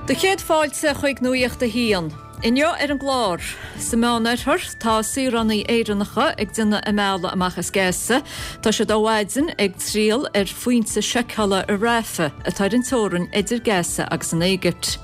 Do chéad fáilte chuig Nuacht a hAon. Inniu ar an gclár, sa Meánoirthear, tá saoránaigh Éireannacha ag déanamh a mbealaigh amach as Gaza. Tá siad ó mhaidin ag triall ar phointe seiceála i Rafah, atá ar an teorainn idir Gaza agus an Éigipt.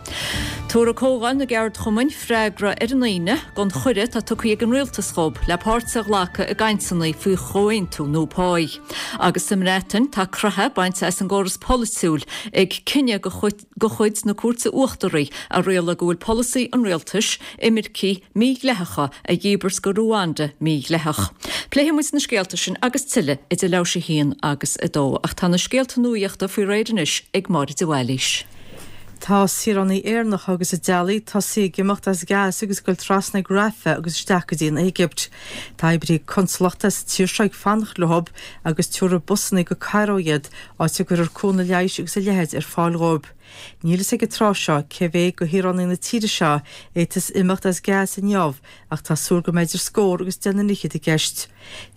Tabharfaidh Comhdháil na gCeardchumainn freagra ar an Aoine don chuireadh atá tugtha ag an Rialtas dhóibh le páirt a ghlacadh i gcainteanna faoi chomhaontú nua páí. Agus sa mBreatain, tá croitheadh bainte as an gcóras polaitiúil ag cinneadh de chuid na Cúirte Uachtaraí a rialaigh go bhfuil polasaí an rialtais imircigh mídhleathacha a dhíbirt go Ruanda mídhleathach. Pléifidh muid na scéalta sin agus tuilleadh idir leathuair théis 1 agus 2 ach tá na scéalta nuaíochta faoi réir anois ag Máire de Bhailís. Tá saoránaigh Éireannacha agus a dteaghlaigh tosaithe ag imeacht as Gaza agus ag goil trasna ag Rafah agus isteach go dtí an Éigipt. Tá oibrithe consalachta sa tír seo ag fanacht leo agus tabharfaidh busanna go Cairo iad, áit a gcuirfear cúnamh leighis agus a leithéid ar fáil dhóibh. Níl fhios ag an tráth seo cé mhéad de shaoránaigh na tíre seo a fhéadfas imeacht as Gaza inniu ach tá súil go mbeidh idir scór agus deich n-fhichead i gceist.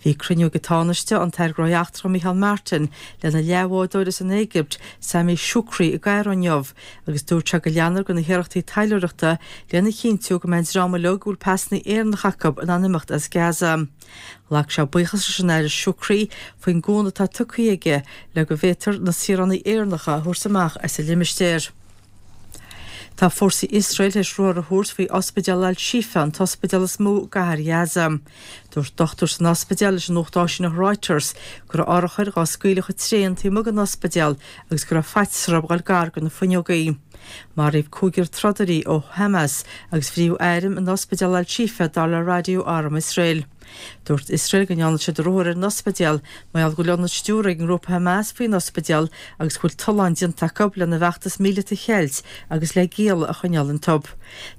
Bhí cruinniú ag an Tánaiste, an tAire Gnóthaí Eachtracha Micheál Martin, lena leathbhádóir as an Éigipt, Sameh Shoukry i gCairo inniu agus dúirt sé go leanfar de na hiarrachtaí taidhleoireachta lena chinntiú go mbeidh an dream uilig a bhfuil pasanna Éireannacha acu in ann imeacht as Gaza. Ghlac sé buíochas leis an Aire Shoukry faoin gcúnamh atá tugtha aige le go bhféadfar na saoránaigh Éireannacha a thabhairt amach as an limistéar. Tá fórsaí Iosrael tar éis ruathar a thabhairt faoi ospidéal Al-Shifa, an t-ospidéal is mó i gcathair Ghaza. Dúirt dochtúir san ospidéal leis an nuacht áisíneach Reuters go raibh urchair dhá scaoileadh chomh tréan taobh amuigh den ospidéal agus go raibh faitíos orthu dhul gar do na fuinneogaí. Maraíodh cúigear trodairí ó Hamas agus frítheadh airm in ospidéal Al-Shifa, dar le raidió Arm Iosrael. Dúirt Iosrael go ndearna siad ruathar ar an ospidéal mar gheall go bhfuil ionad stiúrtha ag an ngrúpa Hamas faoin ospidéal agus go bhfuil tolláin déanta acu lena bhfeachtas míleata a cheilt agus le gialla a choinneáil iontu.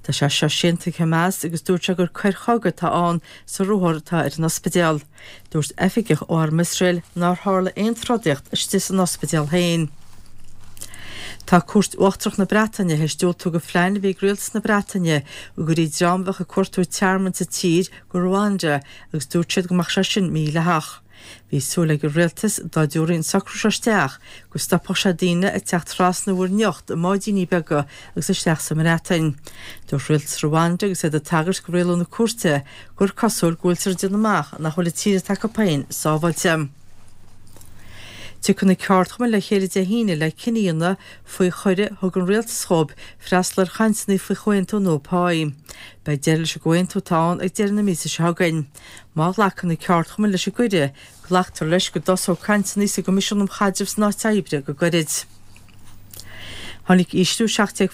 Tá sé seo séanta ag Hamas agus dúirt sé gur coir chogaidh atá ann sa ruathar atá ar an ospidéal. Dúirt oifigeach ó Arm Iosrael nár tharla aon trodaíocht istigh san ospidéal féin. Tá Cúirt Uachtarach na Breataine théis diúltú do phlean a bhí ag Rialtas na Breataine go gcuirfí dream a bheadh ag cuartú tearmainn sa tír go Rwanda agus dúirt siad go mbeadh sé sin mídhleathach. Bhí súil ag an Rialtas dá dtabharfaí an socrú seo isteach go stopfadh sé daoine ag teacht trasna Mhuir nIocht i mbáidíní beaga agus isteach sa mBreatain. Dúirt Rialtas Rwanda agus iad ag tagairt do rialú na cúirte gur cosúil go bhfuiltear ag déanamh amach nach bhfuil an tír atá acu féin sábháilte. Tiocfaidh na ceardchumainn le chéile Dé hAoine le cinneadh a dhéanamh faoi chuireadh a thug an rialtas dhóibh freastal ar chainteanna faoi chomhaontú nua páí. Beidh deireadh leis an gcomhaontú atá ann ag deireadh na míosa seo chugainn. Má ghlacann na ceardchumainn leis an gcuireadh, glactar leis go dtosóidh cainteanna sa gCoimisiún um Chaidreamh san Áit Oibre go gairid. Tháinig ísliú 17%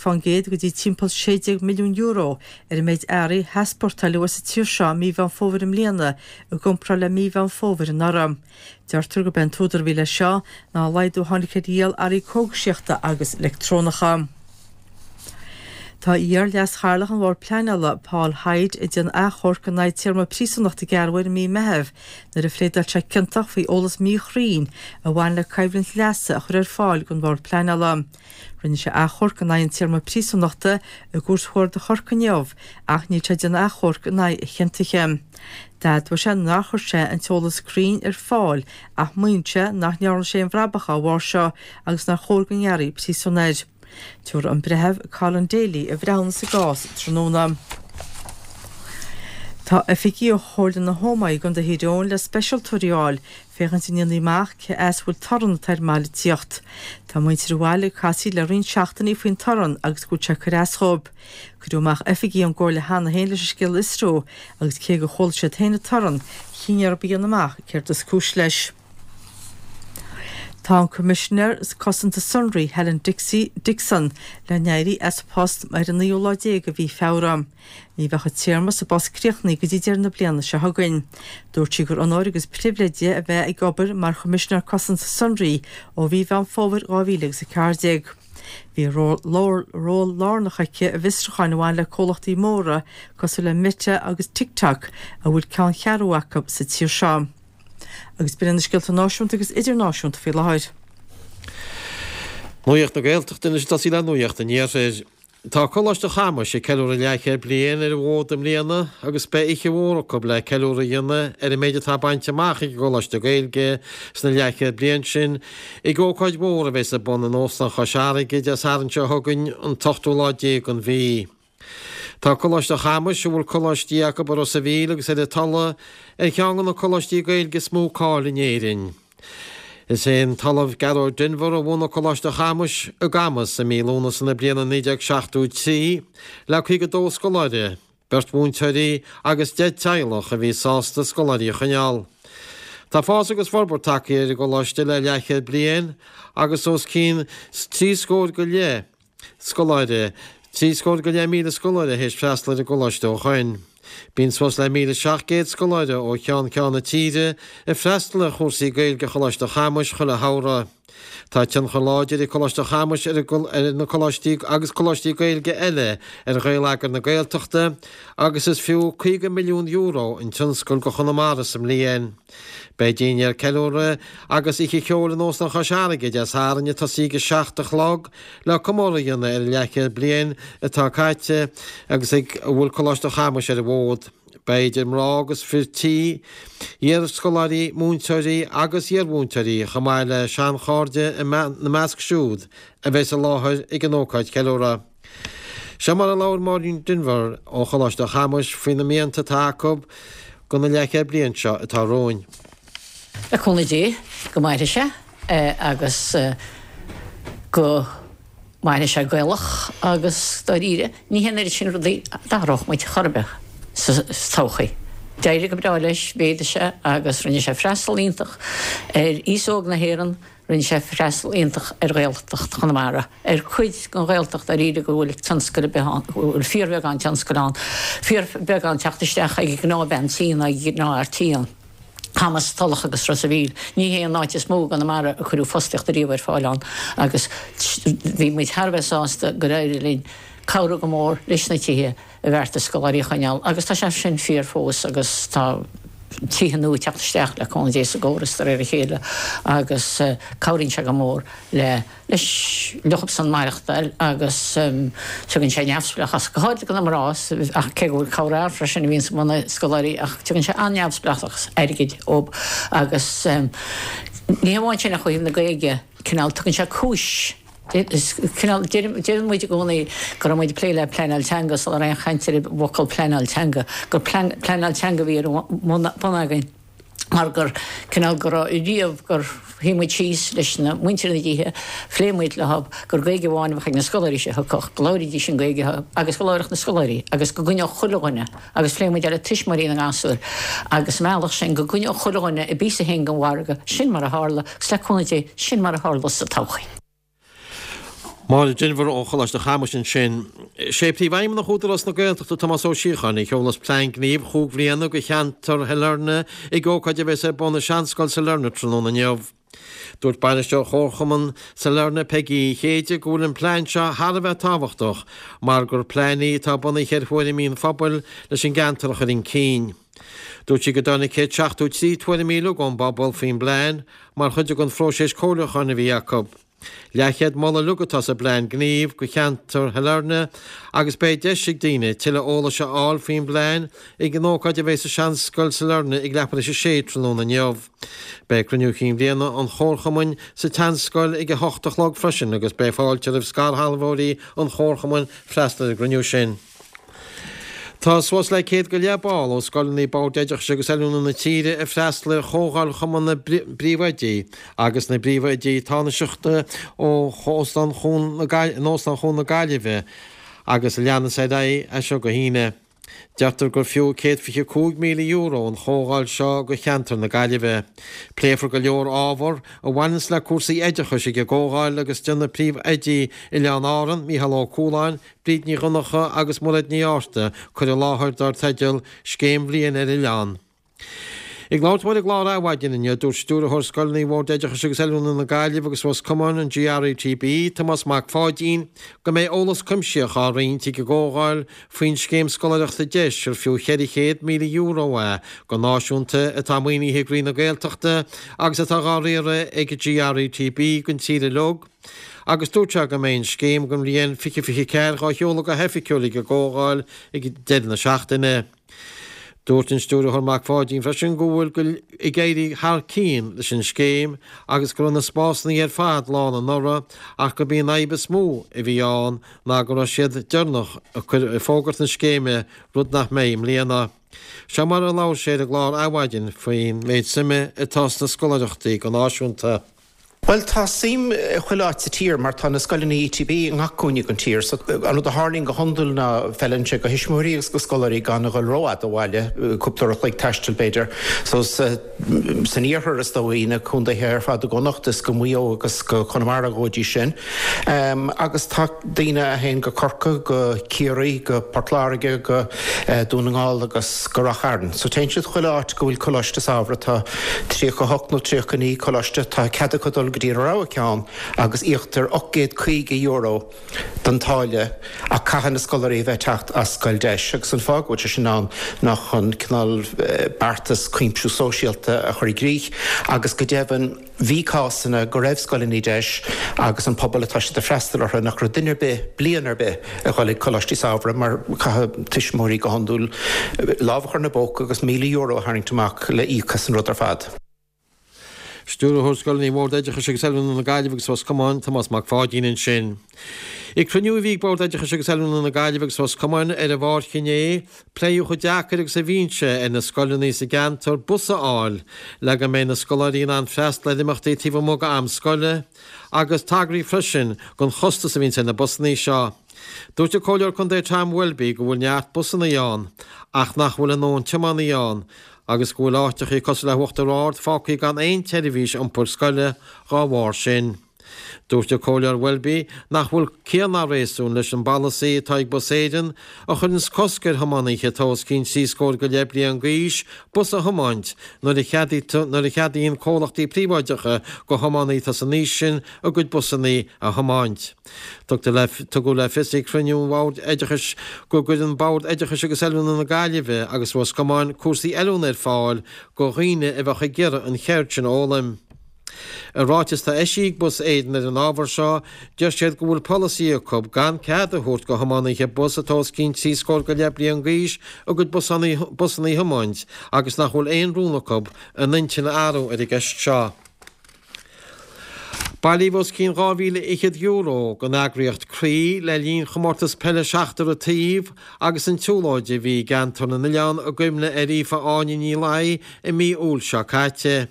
go dtí timpeall €16 milliún ar an méid earraí a heaspórtáileadh as an tír seo i mí Mheán Fómhair i mbliana i gcomparáid le mí Mheán Fómhair anuraidh. Deirtear gurb é an t-údar a bhí leis seo ná an laghdú a tháinig ar dhíol earraí cógaisíochta agus leictreonacha. Tá iar-Leas-Chathaoirleach an Bhoird Pleanála, Paul Hyde, ag déanamh achomhairc in aghaidh téarma príosúnachta a gearradh air i mí Meitheamh nuair a phléadáil sé ciontach faoi eolas míchruinn a bhain le coimhlint leasa a chur ar fáil don Bhord Pleanála. Rinne sé achomharc in aghaidh an téarma príosúnachta i gCúirt Chuarda Chorcaí inniu ach níl sé ag déanamh achomhairc in aghaidh a chiontaithe. D'admhaigh sé nár chuir sé an t-eolas cruinn ar fáil ach maíonn sé nach ndearna sé aon bhrabach dá bharr seo agus nár chóir go ngearrfaí príosún air. Tabharfaidh an Breitheamh Colin Daly a bhreithiúnas sa gcás tráthnóna. Tá oifigigh ó Chomhairle na hÓmaí i gContae Thír Eoghain le speisialtóirí a fháil féachaint a ndéanfaí amach cé as a bhfuil torann atá ar an mbaile ag tíocht. Tá muintir an bhaile ag casaoid le roinnt seachtainí faoin torann agus go bhfuil sé ag cur as dhóibh. Cuireadh amach oifigigh ón gComhairle cheana féin leis an scéal a fhiosrú agus cé gur chuala siad féin an torann, chinn orthu a dhéanamh amach céard is cúis leis. Tá an Coimisinéir Cosanta Sonraí Helen Dixon le n-éirí as a post ar an naoú lá déag de mhí Feabhra. Ní bheadh a téarma sa bpost críochnaithe go dtí deireadh na bliana seo chugainn. Dúirt sí gur onóir agus pribhléid di a bheith ag obair mar Choimisinéir Cosanta Sonraí ó mhí Mheán Fómhair 2014. Bhí ról lárnach aici i bhfiosrúcháin a bhain le comhlachtaí móra cosúil le Meta agus TikTok a bhfuil ceanncheathrú acu sa tír seo. Agus b'in iad na scéalta náisiúnta agus idirnáisiúnta faoi láthair. Nuacht na Gaeltachta anois ag tosaí le Nuacht an Iarthair. Tá Coláiste Chamais ag ceiliúradh leathchéad bliain ar an bhfód i mbliana agus beidh oíche mhór acu le ceiliúradh a dhéanamh ar an méid atá bainte amach ag an gColáiste Gaeilge sna leathchéad bliain sin ag ócáid mhór a bheas ar bun in Óstán Chois Fharraige Dé Sathairn seo chugainn an t-ochtú lá déag den mhí. Tá Coláiste Chamais, a bhfuil coláistí acu i Ros a' Mhíl agus ar an Tulaigh, ar cheann de na coláistí Gaeilge is mó cáil in Éirinn. Is é an tOllamh Gearóid Denvir a bhunaigh Coláiste Chamais i gCamas i mí Lúnasa na bliana 1973 le 52 scoláire, beirt mhúinteoirí agus 10 teaghlach a bhí sásta scoláirí a choinneáil. Tá fás agus forbairt tagtha ar an gcoláiste le leathchéad bliain agus os cionn trí scór go leith scoláire, 73,000 scoláire théis freastal ar an gcoláiste ó shoin. Bíonn suas le 1,700 scoláire ó cheann ceann na tíre ag freastal ar chúrsaí Gaeilge Choláiste Chamais chuile shamhradh. Tá tionchar láidir ag Coláiste Chamais ar na coláistí agus coláistí Gaeilge eile ar ghaelagar na Gaeltachta agus is fiú €50 milliún an tionscal go Chonamara sa mbliain. Beidh dinnéar ceiliúrtha agus oíche cheoil in Óstán Chois Fharraige Dé Sathairn ag tosaí ag a 7 a chlog le comóradh a dhéanamh ar an leathchéad bliain atá caite agus ag a bhfuil Coláiste Chamais ar an bhfód. Beidh idir mná agus fir tí, iar-scoláirí, múinteoirí agus iar-mhúinteoirí chomh maith le seanchairde ina measc siúd a bheas i láthair ag an ócáid cheiliúrtha. Seo mar a labhair Máirín Denvir ó Choláiste Chamais faoi na mianta atá acu do na leathchéad bliain seo atá romhainn. Le cúnamh Dé go mairfidh sé agus go mairfidh sé Gaelach agus dáiríre ní hé an oiread sin rudaí a d'athródh muid chor ar bith sa todhchaí. D'éirigh go breá leis, mhéadaigh sé agus rinne sé freastal iontach ar aos óg na hÉireann, Rinne sé freastal iontach ar Ghaeltacht Chonamara, ar cuid den Ghaeltacht dáiríre go bhfuil tionscal ar bith ann, go bhfuil fíorbheagán tionscail ann, fíorbheagán teacht isteach ag an ngnáthbhean tí ná ag an ngnáthfhear tí ann. Camas, Tulach agus Ros a' Mhíl. Ní hé an áit is mó i gConamara a cuireadh fostaíocht ariamh ar fáil ann agus bhí muid thar a bheith sásta gur éirigh linn cabhrú go mór leis na tithe a bheartaigh scoláirí a choinneáil agus tá sé sin fíor fós agus tá tithe nua ag teacht isteach le cúnamh Dé sa gcóras de réir a chéile agus cabhraíonn sé go mór le leis leosan maireachtáil agus tugann sé neamhspleáchas go háirithe do na mná ach cé go bhfuil corrfhear freisin a bhíonns ag na scoláirí ach tugann sé an-neamhspleáchas airgid dóibh agus ní hamháin sin ach ó thaobh na Gaeilge cineál tugann sé cúis Cineál, deireann muid i gcónaí go raibh muid ag plé le pleanáil teanga sula raibh aon chaint ar an bhfocal pleanáil teanga, gur pleanáil teanga a bhí ar bun againn mar gur, cineál, go raibh riamh gur shuigh muid síos leis na muintir na dtithe, phléigh muid leo gur Gaeilge amháin a bheadh ag na scoláirí seo a thiocfadh, go labhraídís an Ghaeilge agus go labharfadh na scoláirí agus go gcoinneodh chuile dhuine agus phléigh muid é le tuismitheoirí na ngasúr agus sa mbealach sin go gcoinneodh chuile dhuine a bpíosa féin den mhargadh, sin mar a tharla agus le cúnamh Dé, sin mar a tharlós sa todhchaí. Máire Denvir ó Choláiste Chamais ansin. Sé Príomhfheidhmeannach Údarás na Gaeltachta Tomás Ó Síocháin a sheolas plean gnímh chúig bhliana do cheantar Shailearna ag ócáid a bheas ar bun i Seanscoil Sailearna tráthnóna inniu. Dúirt Bainisteoir Chomharchumann Sailearna Peigí Uí Chéide go bhfuil an plean seo thar a bheith tábhachtach mar gur plean í atá bunaithe ar thuairimí an phobail leis an gceantar a chur chun cinn. Dúirt sí go dtáinig 173 tuairimí uilig ón bpobal faoin bplean mar chuid den phróiseas comhairliúcháin a bhí acu. Leathchéad moladh uilig atá sa bplean gnímh do cheantar Shailearna agus beidh deis ag daoine tuilleadh eolais a fháil faoin bplean ag an ócáid a bheidh sa Seanscoil Sailearna ag leathuair tar éis a sé tráthnóna inniu. Beidh cruinniú chinn bhliana an Chomharchumainn sa tSeanscoil ag a hocht a chlog freisin agus beidh fáilte roimh scairshealbhóirí an Chomharchumainn freastal ar an gcruinniú sin. Tá suas le 100 go leith ball ó scoileanna Bord Oideachais agus Oiliúna na tíre ag freastal ar Chomhdháil Chumann na bPríomhoidí agus na bPríomhoidí Tánaisteacha ó Óstán Chuan na in Óstán Chuan na Gaillimhe agus a leanas ar aghaidh as seo go hAoine. Deirtear gur fiú €125,000 an chomhdháil seo do cheantar na Gaillimhe. Pléifear go leor ábhar a bhaineanns le cúrsaí oideachais ag an gcomhdháil agus déanfaidh príomhoidí Oileáin Árann, Mícheál Ó Cualáin, Bríd Ní Dhonncha agus Mairéad Ní Fhátharta cur i láthair dar teideal Scéim Bhliain ar Oileán. Ag labhairt dó ar an gclár Adhmhaidin inniu, dúirt Stiúrthóir Scoileanna Bhord Oideachais agus Oiliúna na Gaillimhe agus Ros Comáin, an GRETB, Tomás Mac Pháidín, go mbeidh eolas cuimsitheach á roinnt ag an gcomhdháil faoin scéim scoláireachta deis ar fiú €400,000 é go náisiúnta atá maoinithe ag Roinn na Gaeltachta agus atá dhá riaradh ag an GRETB don tír uilig. agus dúirt sé go mbeidh an scéim don bhliain 2024 dhá sheoladh go hoifigiúil ag an gcomhdháil ag deireadh na seachtaine. Dúirt an Stiúrthóir Mac Pháidín freisin go bhfuil go ag éirí thar cionn leis an scéim agus go raibh na spásanna ar fad lán anuraidh ach gurb í an fhadhb is mó a bhí ann ná go raibh siad deireanach ag cur ag fógairt na scéime, rud nach mbeidh i mbliana. Seo mar a labhair sé ar an gclár Adhmhaidin faoin méid suime atá sna scoláireachtaí go náisiúnta. Bhuel, tá suim chuile áit sa tír mar tá na scoileanna ETB i ngach cúinne den tír. So, an rud a tharlaíonn go hiondúil ná feileann sé do thuismitheoirí agus do scoláirí gan a dhul rófhada ó bhaile, cúpla uair a chloig taistil b'fhéidir. So, sa, san iarthar is dóigh, na contaetha ar fad i gConnacht is go Maigh Eo agus go Conamara go dtí sin. Agus tá daoine a théann go Corcaigh, go Ciarraí, go Port Láirge, go Dún na nGall agus go Ráth Chairn. So téann siad chuile áit go bhfuil coláiste samhraidh. Tá 38 nó 39 coláiste. Tá cead acu dul go dtí a rogha ceann agus íoctar €850 don táille ach caithfidh na scoláirí a bheith ag teacht as scoil deis agus an fáth go bhfuil sé sin ann ná chun cineál beartas cuimsiú sóisialta a chur i gcrích agus go deimhin Bhí cásanna go raibh scoileanna deis agus an pobal atá siad ag freastal orthu nach raibh duine ar bith bliain ar bith ag dhul ag coláistí samhraidh mar caithfidh tuismitheoirí go hiondúil lámh a chur ina bpóca agus €1,000 a tharraingt amach le íoc as an rud ar fad. Stiúrthóir Scoileanna Bhord Oideachais agus Oiliúna na Gaillimhe agus Ros Comáin, Tomás Mac Pháidín ansin. Ag cruinniú a bhí ag Bord Oideachais agus Oiliúna na Gaillimhe agus Ros Comáin ar an Mháirt inné, Pléadh chomh deacair agus a bhíonn sé ar na scoileanna sa gceantar bus a fháil le go mbeidh na scoláirí in ann freastal ar imeachtaí taobh amuigh d'am scoile, agus tagraíodh freisin don chostas a bhíonns ar na busanna seo. Dúirt an Comhairleoir Contae Tom Welby go bhfuil neart busanna ann ach nach bhfuil a ndóthain tiománaí ann agus go bhfuil áiteachaí cosúil le hUachtar Ard fágtha gan aon tseirbhís iompair scoile dhá bharr sin. Dúirt an Comhairleoir Welby nach bhfuil ciall ná réasún leis an bpolasaí atá ag Bus Éireann a chuireanns cosc ar thiománaithe atá os cionn 30 scór go leith bliain d'aois bus a thiomáint nuair a nuair a cheadaíonn comhlachtaí príobháideacha go thiománaithe atá san aois sin a gcuid busanna a thiomáint. Tugtar le Tugadh le fios ag cruinniú an Bhoird Oideachais go gcuireann Bord Oideachais agus Oiliúna na Gaillimhe agus Ros Comáin cúrsaí oiliúna ar fáil go dhaoine a bheadh ag iarraidh an cheird sin a fhoghlaim. I ráiteas atá eisithe ag Bus Éireann ar an ábhar seo, deir siad go bhfuil polasaí acu gan cead a thabhairt go thiománaithe bus atá os cionn 30 scór go leith bliain d'aois a gcuid busanna a thiomáint agus nach bhfuil aon rún acu a n-intinn a athrú ar an gceist seo. Bailíodh os cionn €2,000 don eagraíocht Croí le linn chomórtas peile seachtar an taobh agus an tsiúlóid a bhí i gCeantar na nOileán i gcuimhne ar Aoife Áine Ní Laoi i mí Iúil seo caite.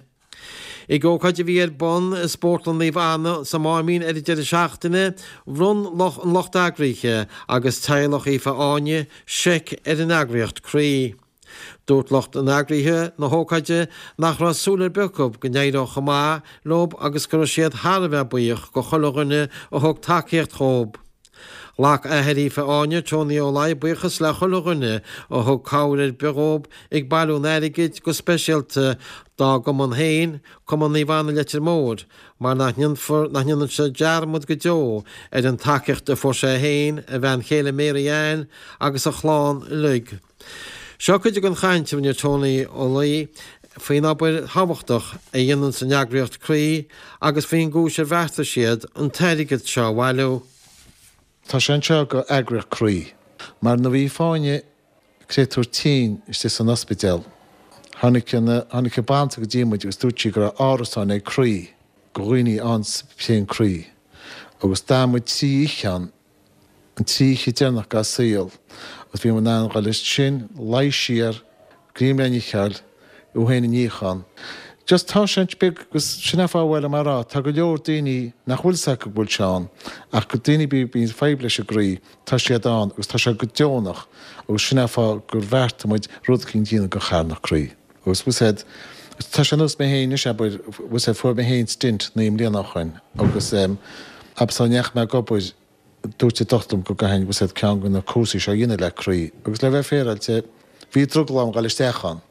Ag ócáid a bhí ar bun i Spórtlann Naomh Anna sa Máimín ar an deireadh seachtaine, bhronn an lucht eagraithe agus teaghlach Aoife Áine seic ar an eagraíocht Croí. Dúirt lucht an eagraithe na hócáide nach raibh súil ar bith acu go n-éireodh chomh maith leo agus go raibh siad thar a bheith buíoch go chuile dhuine a thug tacaíocht dhóibh. Ghlac athair Aoife Áine, Tony Ó Laoi, buíochas le chuile dhuine a thug cabhair ar bith dhóib ag bailiú an airgid, go speisialta dá gcumann féin, Cumann Naomh Anna Leitir Móir, mar nach ndéanfar, nach ndéanann sé dearmad go deo ar an tacaíocht a fuair sé féin, a bhean chéile Mary Ann agus a chlann uilig. Seo cuid den chaint a rinne Tony Ó Laoi faoin obair thábhachtach a dhéananns an eagraíocht Croí agus faoin gcúis ar bheartaigh siad an t-airgead seo a bhailiú. Tá sé anseo go eagraíocht Croí. Mar nuair a bhí Fáinne créatúr tinn istigh san ospidéal, tháinig an, tháinig an banaltra go dtí muid agus dúirt sí go raibh árasáin ag Croí go dhaoine ann sa phian croí. Agus d'fhan muid 3 oíche ann an trí oíche deireanach dá saol agus bhí muid in ann dhul ansin, luí siar, greim le n-ithe, í féin a níochán. Just tá sé beag agus sin an fáth a bhfuil mé a rá, tá go leor daoine nach bhfuil 's acu go bhfuil sé ann ach go daoine a bíonn fadhb leis an gcroí, tá siad ann agus tá sé go deonach agus sin an fáth gur bheartaigh muid rud eicínt a dhéanamh go charthanacht Croí. Agus bhfuil 's a'd, tá sé nós mé féin anois, abair, bhfuil 's a'd, fuair mé féin stint 9 mbliana ó shoin agus abair sula ndeachaigh mé ag obair, dúirt an dochtúir liom go gcaithfinn, bhfuil 's a'd, ceann de na cúrsaí seo a dhéanamh le croí agus le bheith féaráilte, bhí drogall orm dhul isteach ann.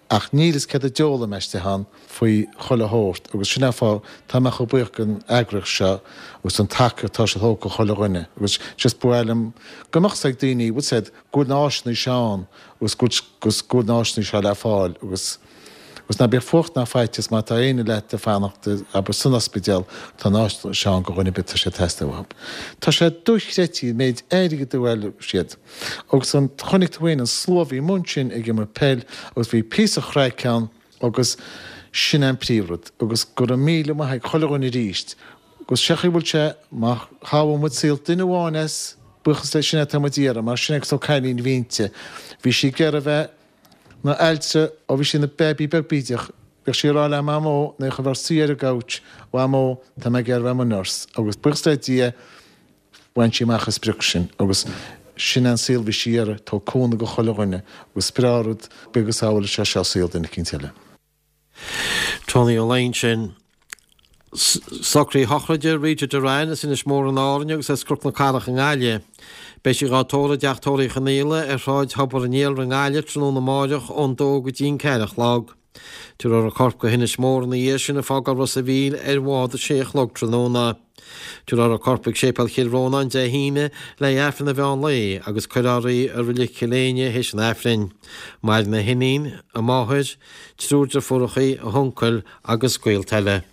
Ach níl 'fhios céard a d'fhoghlaim mé istigh ann faoi chuile shórt agus sin an fáth tá mé chomh buíoch den eagraíocht seo agus don tacaíocht atá siad a thabhairt do chuile dhuine agus just ba mhaith liom go mbeadh 's ag daoine, bhfuil 's a'd, go bhfuil na áiseanna seo ann agus go bhfuil, agus go bhfuil na áiseanna seo le fáil agus. Agus ná bíodh fuacht ná faitíos má tá éinne leat ag fanacht, abair, san ospidéal, tá an áit seo ann do dhuine ar bith tá sé ag teastáil uathu. Tá sé dochreidte an méid airgid a bhailigh siad. Agus an, chonaic tú féin an slua a bhí amuigh ansin ag imirt peil agus bhí píosa chraic ann agus sin é an príomhrud. Agus go raibh míle maith ag chuile dhuine arís. Agus sé an chaoi a bhfuil sé, má shábháil muid saol duine amháin as, buíochas le, sin é atá muid a iarraidh, mar sin é agus cailín a bhí inti. Bhí sí ag iarraidh a bheith ina altra ó bhí sí ina baby beag bídeach. Bhíodh sí ag rá le Mamó nuair a bheadh suí ar an gcouch, Mhamó, tá mé ag iarraidh a bheith i mo nurse. Agus buíochas le Dia, bhain sí amach an sprioc sin. Agus sin é an saol a bhí sí ag iarraidh, tabhairt cúnamh do chuile dhuine. Agus is breá an rud, bíodh go sábháilfidh sé seo saol duine eicínt eile. Tony Ó Laighin sin. Socruithe sochraide Rita Doran as Inis Mór in Árainn agus as Cnoc na Cathrach i nGaillimh. Beidh sí dhá tórramh i dteach tórraimh Uí Chonaola ar Shráid Thobar an Iarla i nGaillimh tráthnóna amáireach ón dó go dtí an ceathair a chlog. Tabharfar a corp go hInis Mór ina dhiaidh sin ag fágáil Ros a' Mhíl ar bhád a sé a chlog tráthnóna. Tabharfar a corp ag Séipéal Chill Rónáin Dé hAoine le haghaidh Aifreann an mheán lae agus cuirfear í i Reilig Chill Éinne théis an Aifrinn. Maireann a hiníon, a máthair, triúr deirfiúrachaí, a huncail agus gaolta eile.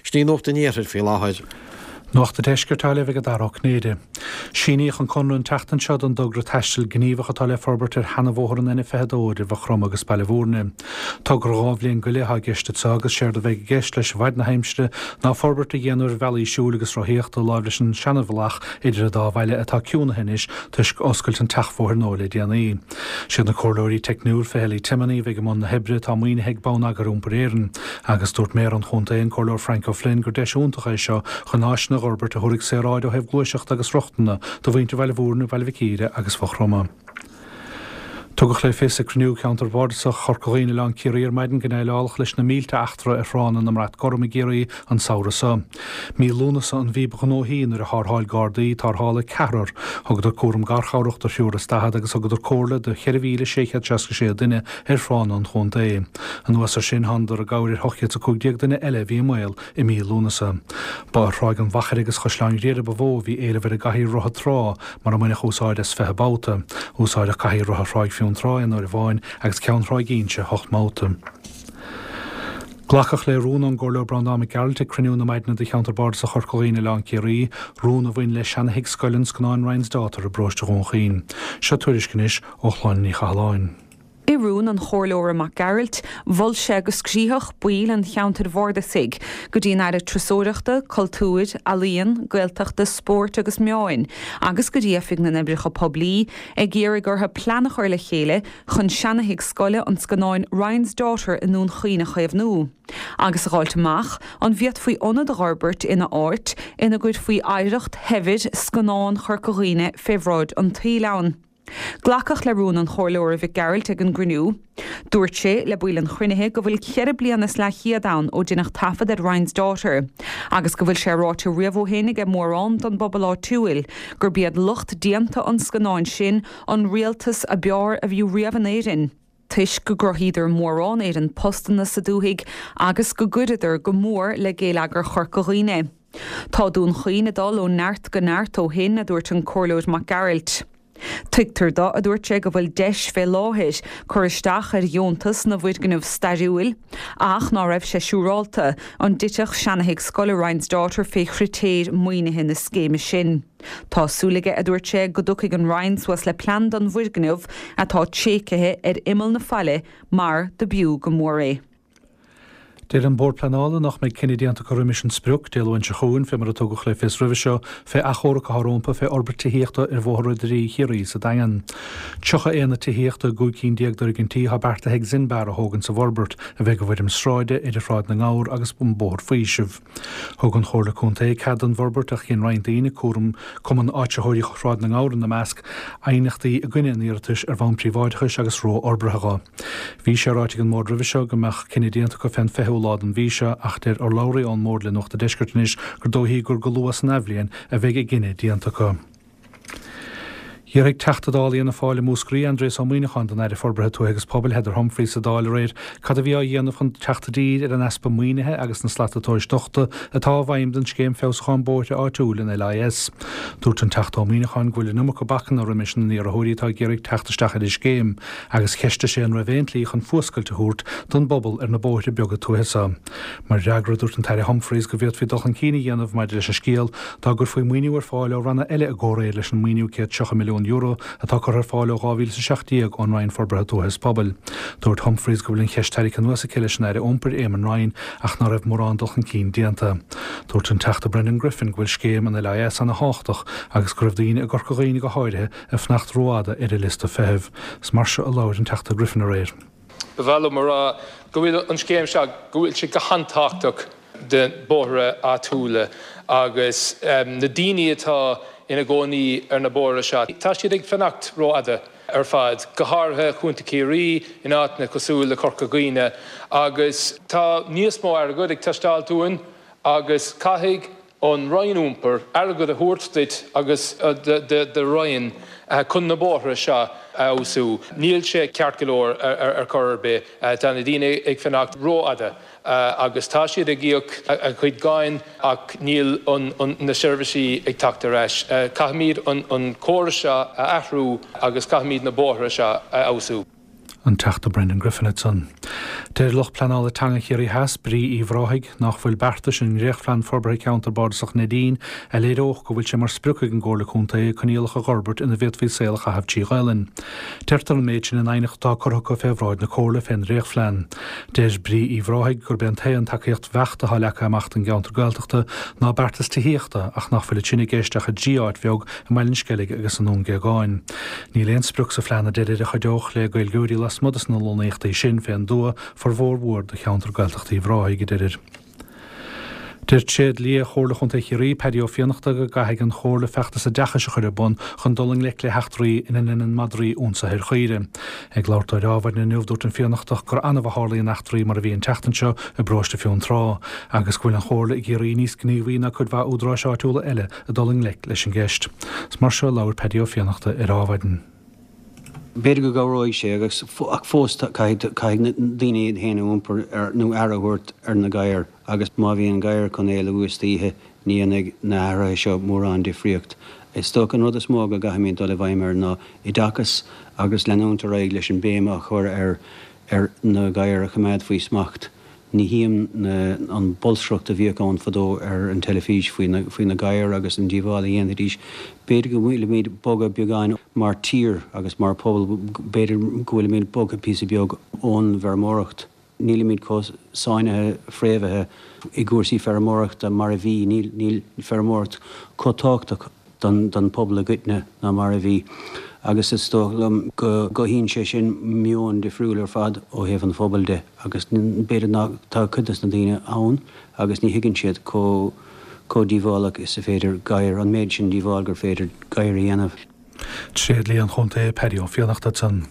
Sin í Nuacht an Iarthair faoi láthair. Nuacht an Deiscirt á léamh ag Dara Ó Cinnéide. Síníodh an conradh an tseachtain seo don dtogra taistil gníomhach atá le forbairt ar sheanabhóthar an N22 idir Mhaigh Chromtha agus Baile Bhúirne. Togra 2 bhliain go leith atá i gceist anseo agus séard a bheidh i gceist leis i bhfaid na haimsire ná forbairt a dhéanamh ar bhealaí siúil agus rothaíochta láimh leis an seanabhealach idir an dá bhaile atá ciúnaithe anois toisc oscailt an tseachbhóthair nua le déanaí. Siad na comhairleoirí teicniúil Fichellaí Timoney a bheidh i mbun na hoibre atá maoinithe ag Bonneagar Iompair Éireann. Agus dúirt Méara an Chontae, an Comhairleoir Frank O'Flynn, gur deis iontach é seo chun áiseanna a dh'fhorbairt a thabharfaidh saoráid ó thaobh gluaiseachta agus rochtana do mhuintir Bhaile Bhúirne, Bhaile Mhic Íre agus Mhaigh Chromtha. Tugadh le fios ag cruinniú Cheantar Bhardasach Chorca Dhuibhne-Oileán Ciarraí ar maidin go ndéileálfadh leis na mílte eachtra ar thránna na mBrat Gorm i gCiarraí an samhradh seo. Mí Lúnasa an mhí ba ghnóthaí nuair a thárrtháil Gardaí, tarrtháladh ceathrar, thugadar cúram garchabhrach do thriúr is daichead agus thugadar comhairle do 4,666 duine ar thránna an chontae. Anuas air sin, thánadar i gcabhair ar 815 duine eile a bhí i mbaol i mí Lúnasa. Ba ar Thráigh an Mhachaire agus Chaisleán Ghriaire ba mhó a bhí éileamh ar an gcathaoir rotha trá, mar a mbaineadh úsáid as 20 babhta. Úsáideadh cathaoir rotha Thráigh Fionntrá aon uair amháin agus ceann Thráigh Inse hocht mbabhta. Glacadh le rún ón gComhairleoir Breandán Mac Gearailt ag cruinniú na maidine de Cheantar Bardasach Chorca Dhuibhne Oileán Ciarraí, rún a bhain le seana-thigh scoile an scannáin Ryan's Daughter i bparóiste Dhún Chaoin. Seo tuairisc anois ó Shláine Ní Chathalláin. I rún an Chomhairleora Mac Gearailt, mhol sé go scríobhfadh baill an cheantair bhardasaigh go dtí an Aire Turasóireachta, Cultúir, Ealaíon, Gaeltachta, Spóirt agus Meáin agus go dtí Oifig na nOibreacha Poiblí ag iarraidh orthu plean a chur le chéile chun seana-thigh scoile an scannáin Ryan's Daughter i nDún Chaoin a chaomhnú agus a dh'fháilt amach an bhféadfaí ionad a dh'fhorbairt ina áit ina gcuirfí oidhreacht shaibhir scannán Chorca Dhuibhne fé bhráid an tsaoil ann. Glacadh le rún an Chomhairleora Mhic Gearailt ag an gcruinniú. Dúirt sé le baill an chruinnithe go bhfuil cheithre bliana is leathchéad ann ó deineadh taifead ar Ryan's Daughter agus go bhfuil sé ráite riamh ó shin aige mórán don bpobal áitiúil gurb iad lucht déanta an scannáin sin an rialtas a b'fhearr a bhí riamh in Éirinn toisc go gcruthaíodar mórán Éireann postanna sa dúthaigh agus go gcuireadar go mór le géilleagar Chorca Dhuibhne. Tá Dún Chaoin ag dul ó neart go neart ó shin, a dúirt an Comhairleoir Mac Gearailt. Tuigtear do, a dúirt sé, go bhfuil deis fé láthair cur isteach ar dheontas na bhfoirgneamh stairiúil ach ná raibh sé siúrálta an dtitfeadh seanathigh scoile Ryan's Daughter fé chritéir maoinithe na scéime sin. Tá súil aige, a dúirt sé, go dtiocfaidh an Roinn suas le plean don bhfoirgneamh atá tréigthe ar imeall na faille mar do b'fhiú go mór é. Deir an Bord Pleanála nach mbeidh cinneadh déanta acu roimis an sprioc, Dé Luain seo chugainn, fé mar a tugadh le fios roimhe seo, fé achomharc atá rómpa fé fhorbairt tithíochta ar Bhóthar Ard-Rí Chiarraí sa Daingean. 30 aonad tithíochta i gcúig cinn déag d'fhoirgintí atá beartaithe ag Zinbar a thógaint sa bhforbairt, a bheidh i bhfoirm sráide idir Shráid na nGabhar agus an Bóthar Faoisimh. Thug an Chomhairle Contae cead don bhforbairt ach dhein roinnt daoine, cúram Cumann Áitritheoirí Shráid na nGabhar ina measc, aighneachtaí i gcoinne an iarratais ar bhonn príobháideachais agus rófhorbartha dho. Bhí sé ráite ag an mBord roimhe seo go mbeadh cinneadh déanta acu fén 20ú lá den mhí seo ach deir urlabhraí ón mBord le Nuacht an Deiscirt anois gur dóichí gur go luath san athbhliain a bheidh a gcinneadh déanta acu. D'fhiafraigh Teachta Dála Fhianna Fáil i Múscraí, Aindrias Ó Muimhneacháin den Aire Forbartha Tuaithe agus Pobail, Heather Humphreys sa Dáil aréir cad a bhí á dhéanamh chun teacht i dtír ar an easpa maoinithe agus na slata tomhais dochta atá i bhfeidhm don Scéim Feabhsúcháin Bóithre Áitiúil, an LIS. Dúirt an Teachta Ó Muimhneacháin go bhfuil an iomarca bacanna roimis na n-iarrthóirí atá ag iarraidh teacht isteach ar an scéim agus cheistigh sé an raibh aon tslí chun fuascailt a thabhairt don bpobal ar na bóithre beaga tuaithe seo. Mar fhreagra, dúirt an tAire Humphreys go bhféadfaí dul chun cinn a dhéanamh maidir leis an scéal dá gcuirfí maoiniú ar fáil ó ranna eile i gcomhréir leis an maoiniú €130 milliún atá curtha ar fáil ó 2017 ón Roinn Forbartha Tuaithe is Pobail. Dúirt Humphreys go bhfuil an cheist tarraingthe anuas aici leis an Aire Iompair, Eamon Ryan, ach ná raibh mórán dul chun cinn déanta. Dúirt an Teachta Brendan Griffin go bhfuil scéim an LIS ana-thábhachtach agus go raibh daoine i gCorca Dhuibhne go háirithe ag fanacht rófhada ar an liosta feithimh. Is mar seo a labhair an Teachta Griffin aréir. Ba mhaith liom a rá go bhfuil an scéim seo, go bhfuil sé go han-tábhachtach do bóithre áitiúla agus na daoine atá ina gcónaí ar na bóithre seo, tá siad ag fanacht rófhada ar fad, go háirithe Chontae Chiarraí, in áiteanna cosúil le Corca Dhuibhne agus tá níos mó airgead ag teastáilt uainn agus caithfidh an Roinn Iompair airgead a thabhairt duit agus do do Roinn chun na bóithre seo a fheabhsú. Níl sé ceart go leor ar chor ar bith. Tá na daoine ag fanacht rófhada agus tá siad ag íoc a gcuid cáin ach níl na seirbhísí ag teacht ar ais. Caithfimid an córas seo a athrú agus caithfimid na bóithre seo a fheabhsú. An Teachta Brendan Griffin ansan. Deir lucht pleanála teanga Chiarraí Theas, Brí Uíbh Ráthaigh, nach bhfuil beartais i ndréachtphlean forbartha ceantar bardasach Neidín a léireodh go bhfuil sé mar sprioc ag an gComhairle Contae coinníollacha a dh'fhorbairt ina bhféadfaí saol a chaitheamh trí Ghaelainn. Deirtear an méid sin in aighneacht atá curtha acu fé bhráid na Comhairle fén ndréachtphlean. Deir Brí Uíbh Ráthaigh gurb é an t-aon tacaíocht bheacht atá leagtha amach don gceantar Gaeltachta ná beartas tithíochta ach nach bhfuil sin i gceist ach i dtrí áit bheag i mBaile an Sceilg agus i nDún Géagáin. Níl aon sprioc sa phlean a deirid a chuideodh le Gaeilgeoirí lasmuigh de na lonnaíochtaí sin fén dtuath, formhór mhór de cheantar Gaeltachta Uíbh Ráthaigh, a deirid. Deir tréadlia Chomhairle Chontae Chiarraí, Paddy Ó Fiannachta, go gcaithfidh an Chomhairle feachtas oideachais a chur ar bun chun dul i ngleic le heachtraí ina ndeineann madraí ionsaithe ar chaoire. Ag labhairt dó ar Adhmhaidin inniu, dúirt an Fiannachtach gur annamh a tharlaíonn eachtraí mar a bhí an tseachtain seo i bparóiste Fionntrá, agus go bhfuil an Chomhairle i gCiarraí níos gníomhaí ná cuid mhaith údaráis áitiúla eile ag dul i ngleic leis an gceist. Is mar seo a labhair Paddy Ó Fiannachta ar Adhmhaidin. B'fhéidir go gcabhróidh sé agus ach fós caithfidh caithfidh na daoine iad féin a iompar ar nó aire a thabhairt ar na gadhair agus má bhíonn gadhar chun éalú istoíche ní dhéanfaidh na hathruithe seo mórán difríocht. Is dócha an rud is mó go gcaithfimid dul i bhfeidhm air ná oideachas agus leanúint ar aghaidh leis an béim a chur ar ar na gadhair a choimeád faoi smacht. Ní tchím an bolscaireacht a bhíodh ann fadó ar an teilifís faoi na faoi na gadhair agus an díobháil a dhéanfaidís. B'fhéidir go bhfuilimid bogtha beagáin mar tír agus mar phobal, b'fhéidir go bhfuilimid bogtha píosa beag ón bhfeirmeoireacht. Nílimid chomh sáinnithe fréamhaithe i gcúrsaí feirmeoireachta mar a bhí. Níl níl feirmeoireacht chomh tábhachtach don phobal i gcoitinne ná mar a bhí agus is dóigh liom go gcothaíonn sé sin meon difriúil ar fad ó thaobh an phobail de agus b'fhéidir nach, tá cuid des na daoine ann agus ní thuigeann siad chomh chomh díobhálach is a féidir gadhair, an méid sin díobháil gur féidir gadhair a dhéanamh. Tréadlia an Chontae, Paddy Ó Fiannachta ansan.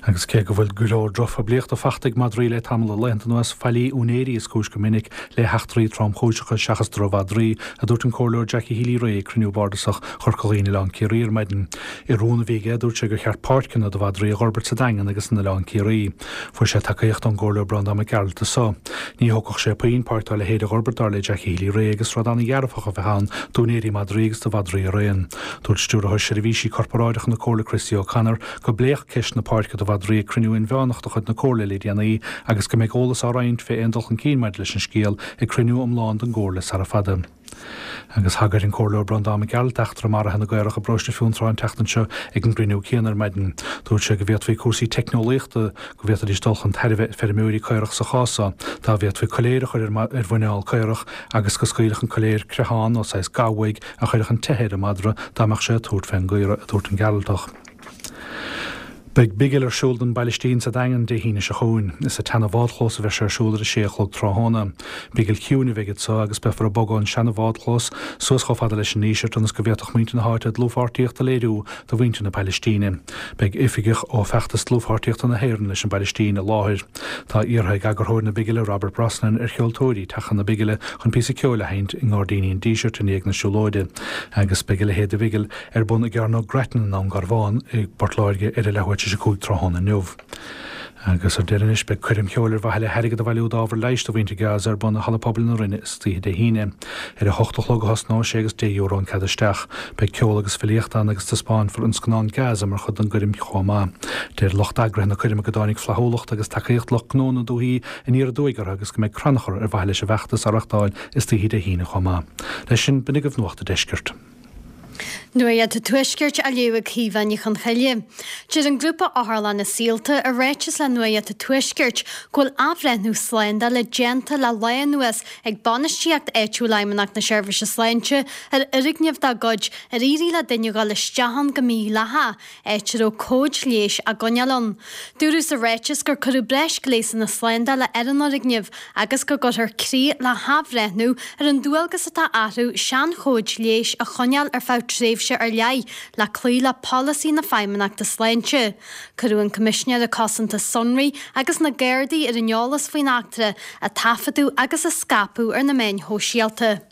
Agus cé go bhfuil go leor drochphoiblíochta fachta ag madraí le tamall de laethanta anuas, faillí úinéirí is cúis go minic le heachtraí tromchúiseacha seachas drochmhadraí, a dúirt an Comhairleoir Jackie Healy-Rae ag cruinniú bardasach Chorca Dhuibhne Oileán Ciarraí ar maidin. I rún a bhí aige, dúirt sé gur cheart páirceanna do mhadraí a dh'fhorbairt sa Daingean agus in Oileán Ciarraí. Fuair sé tacaíocht ón gComhairleoir Breandán Mac Gearailt as so. Ní thógfadh sé puinn páirc dá leithéid a dh'fhorbairt dar le Jackie Healy-Rae agus rud an-dhearfach a bheadh ann d'úinéirí madraí agus do mhadraí araon. Dúirt Stiúrthóir Seirbhísí Corparáideacha na Comhairle Christy O'Connor go bpléadh ceist na páirce do mhadraí ag cruinniú inmheánach de chuid na Comhairle le déanaí agus go mbeidh eolas á roinnt fé aon dul chun cinn maidir leis an scéal ag cruinniú iomlán den gComhairle sara fada. Agus thagair an Comhairleoir Breandán Mac Gearailt d'eachtra maraithe na gcaorach i bparóiste Fionntrá an tseachtain seo ag an gcruinniú céanna ar maidin. Dúirt sé go bhféadfaí cúrsaí teicneolaíochta, go bhféadfaidís dul chun tairbhe feirmeoirí caorach sa chás seo, dá bhféadfaí coiléar a chur ar mhuineál caorach agus go scaoilfeadh an coiléar creathán nó saghas ga uaidh a chuirfeadh an teitheadh ar an madra dá mbeadh sé ag tabhairt fén gcaora, a dúirt an Gearaltach. Beidh bigil ar siúl don bPailistín sa Daingean Dé hAoine seo chugainn. Is sa tseana-bhádchlós a bheidh sé ar siúl ar a sé a chlog tráthnóna. Bigil chiúin a bheidh anso agus beifear ag bogadh an seana-bhádchlós suas chomh fada leis an nDíseart ionas go bhféadfadh muintir na háite dlúthpháirtíocht a léiriú do mhuintir na Pailistíne. Beidh oifigeach ó Feachtas Dlúthpháirtíochta na hÉireann leis an bPailistín i láthair. Tá iarrtha ag eagarthóir na bigile Robert Brosnan ar cheoltóirí teacht chun na bigile chun píosa ceoil a sheinnt i nGairdíní an Dísirt i ndiaidh na siúlóide. Agus beidh a leithéid de bhigil ar bun i gCearnóg Grattan i nDún Garbhán i bPort Láirge ar a leathuair tar éis 5 tráthnóna inniu. Agus ar deireadh anois, beidh coirm cheoil ar mhaithe le hairgead a bhailiú d'ábhar leighis do mhuintir Gaza ar bun i Halla Pobail na Rinne istoíche Dé hAoine. Ar a hocht a chlog a thosnóidh sé agus €10 an cead isteach. Beidh ceol agus filíocht ann agus taispeánfar an scannán Gaza mar chuid den gcoirm chomh maith. Deir lucht eagraithe na coirme go dtáinig flaithiúlacht agus tacaíocht lucht gnó na dúichí aniar aduaidh orthu agus go mbeidh crannchur ar mhaithe leis an bhfeachtas á reachtáil istoíche Dé hAoine chomh maith. Leis sin, b'in agaibh Nuacht an Deiscirt. Nuacht an Tuaiscirt á léamh ag Caoimhe Ní Chonchoille. Deir an grúpa Otharlanna Saolta i ráiteas le Nuacht an Tuaiscirt go bhfuil athbhreithniú slándála déanta le lá anuas ag bainistíocht áitiúil Fheidhmeannacht na Seirbhíse Sláinte ar fhoirgneamh dá gcuid ar éirigh le duine dhul isteach ann go mídhleathach, áit a raibh comhaid leighis á gcoinneáil ann. Dúradh sa ráiteas gur cuireadh breis gléasanna slándála ar an fhoirgneamh agus go gcuirfear críoch le hathbhreithniú ar an dualgas atá orthu seanchomhaid leighis a choinneáil ar feadh tréimhse ar leith le cloí le polasaí na Feidhmeannachta Sláinte. Cuireadh an Coimisinéir Cosanta Sonraí agus na Gardaí ar an eolas faoin eachtra, a taifeadadh agus a scaipeadh ar na meáin shóisialta.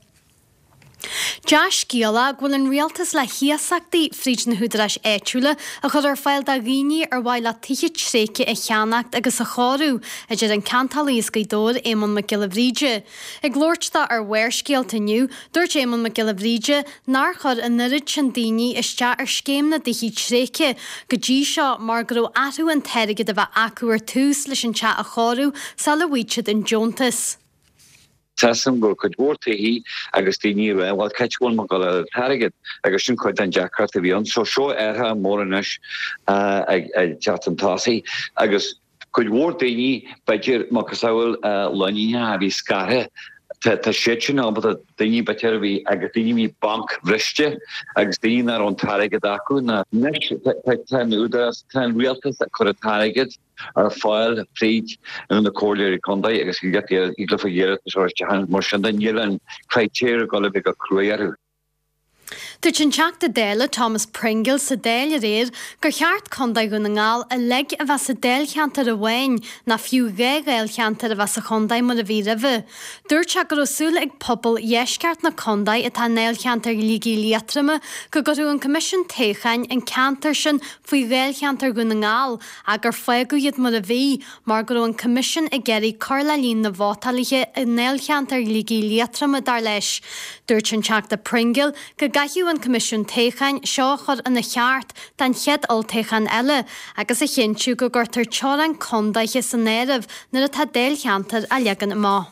Dea-scéala go bhfuil an rialtas le hiasachtaí fríd na húdaráis áitiúla a chur ar fáil do dhaoine ar mhaith leo tithe tréigthe a cheannacht agus a chóiriú, a deir an ceantálaí as Gaoth Dobhair, Éamonn Mac Giolla Bhríde. Ag labhairt dó ar Bharrscéalta inniu, dúirt Éamonn Mac Giolla Bhríde nár chuir an oiread sin daoine isteach ar scéim na dtithe tréigthe go dtí seo mar go raibh orthu an t-airgead a bheith acu ar tús leis an teach a chóiriú sula bhfaigheadh siad an deontas. Tá a fhios agam go raibh cuid mhór tithí agus daoine ag rá bhuel c'áit a bhfuil mé ag dul a fháil an t-airgead agus sin cuid den deacracht a bhí ann. So seo athrú mór anois ag teacht chun tosaigh agus cuid mhór daoine b'fhéidir macasamhail lánúineacha a bhí scartha tá siad sin ábalta daoine b'fhéidir a bhí agus daoine a bhí bancbhriste agus daoine nach raibh an t-airgead acu ná anois tá an údarás tá an rialtas ag cur an t-airgead ar fáil fríd na comhairleoirí contae agus thig leofa iarratas a chur isteach mar sin de níl an critéar ag dul a bheith go cruaidh orthu. Dúirt an Teachta Dála Thomas Pringle sa Dáil aréir gur cheart Contae Dhún na nGall uilig a bheith sa dáilcheantar amháin ná fiú dhá dháilcheantar a bheith sa chontae mar a bhí roimhe. Dúirt sé go raibh súil ag pobal dheisceart na contae atá i ndáilcheantar Shligigh Liatroma go gcuirfeadh an Coimisiún Toghcháin an ceantar sin faoi dháilcheantar Dhún na nGall ach gur fágadh iad mar a bhí, mar go raibh an Coimisiún ag iarraidh cur le líon na vótálaithe i ndáilcheantar Shligigh Liatroma, dar leis. Dúirt an Teachta Pringle go gcaithfeadh an Coimisiún Toghcháin seo a chur ina cheart don chéad olltoghchán eile agus a chinntiú go gcuirtear teorainn condaetha san áireamh nuair atá dáilcheantair á leagan amach.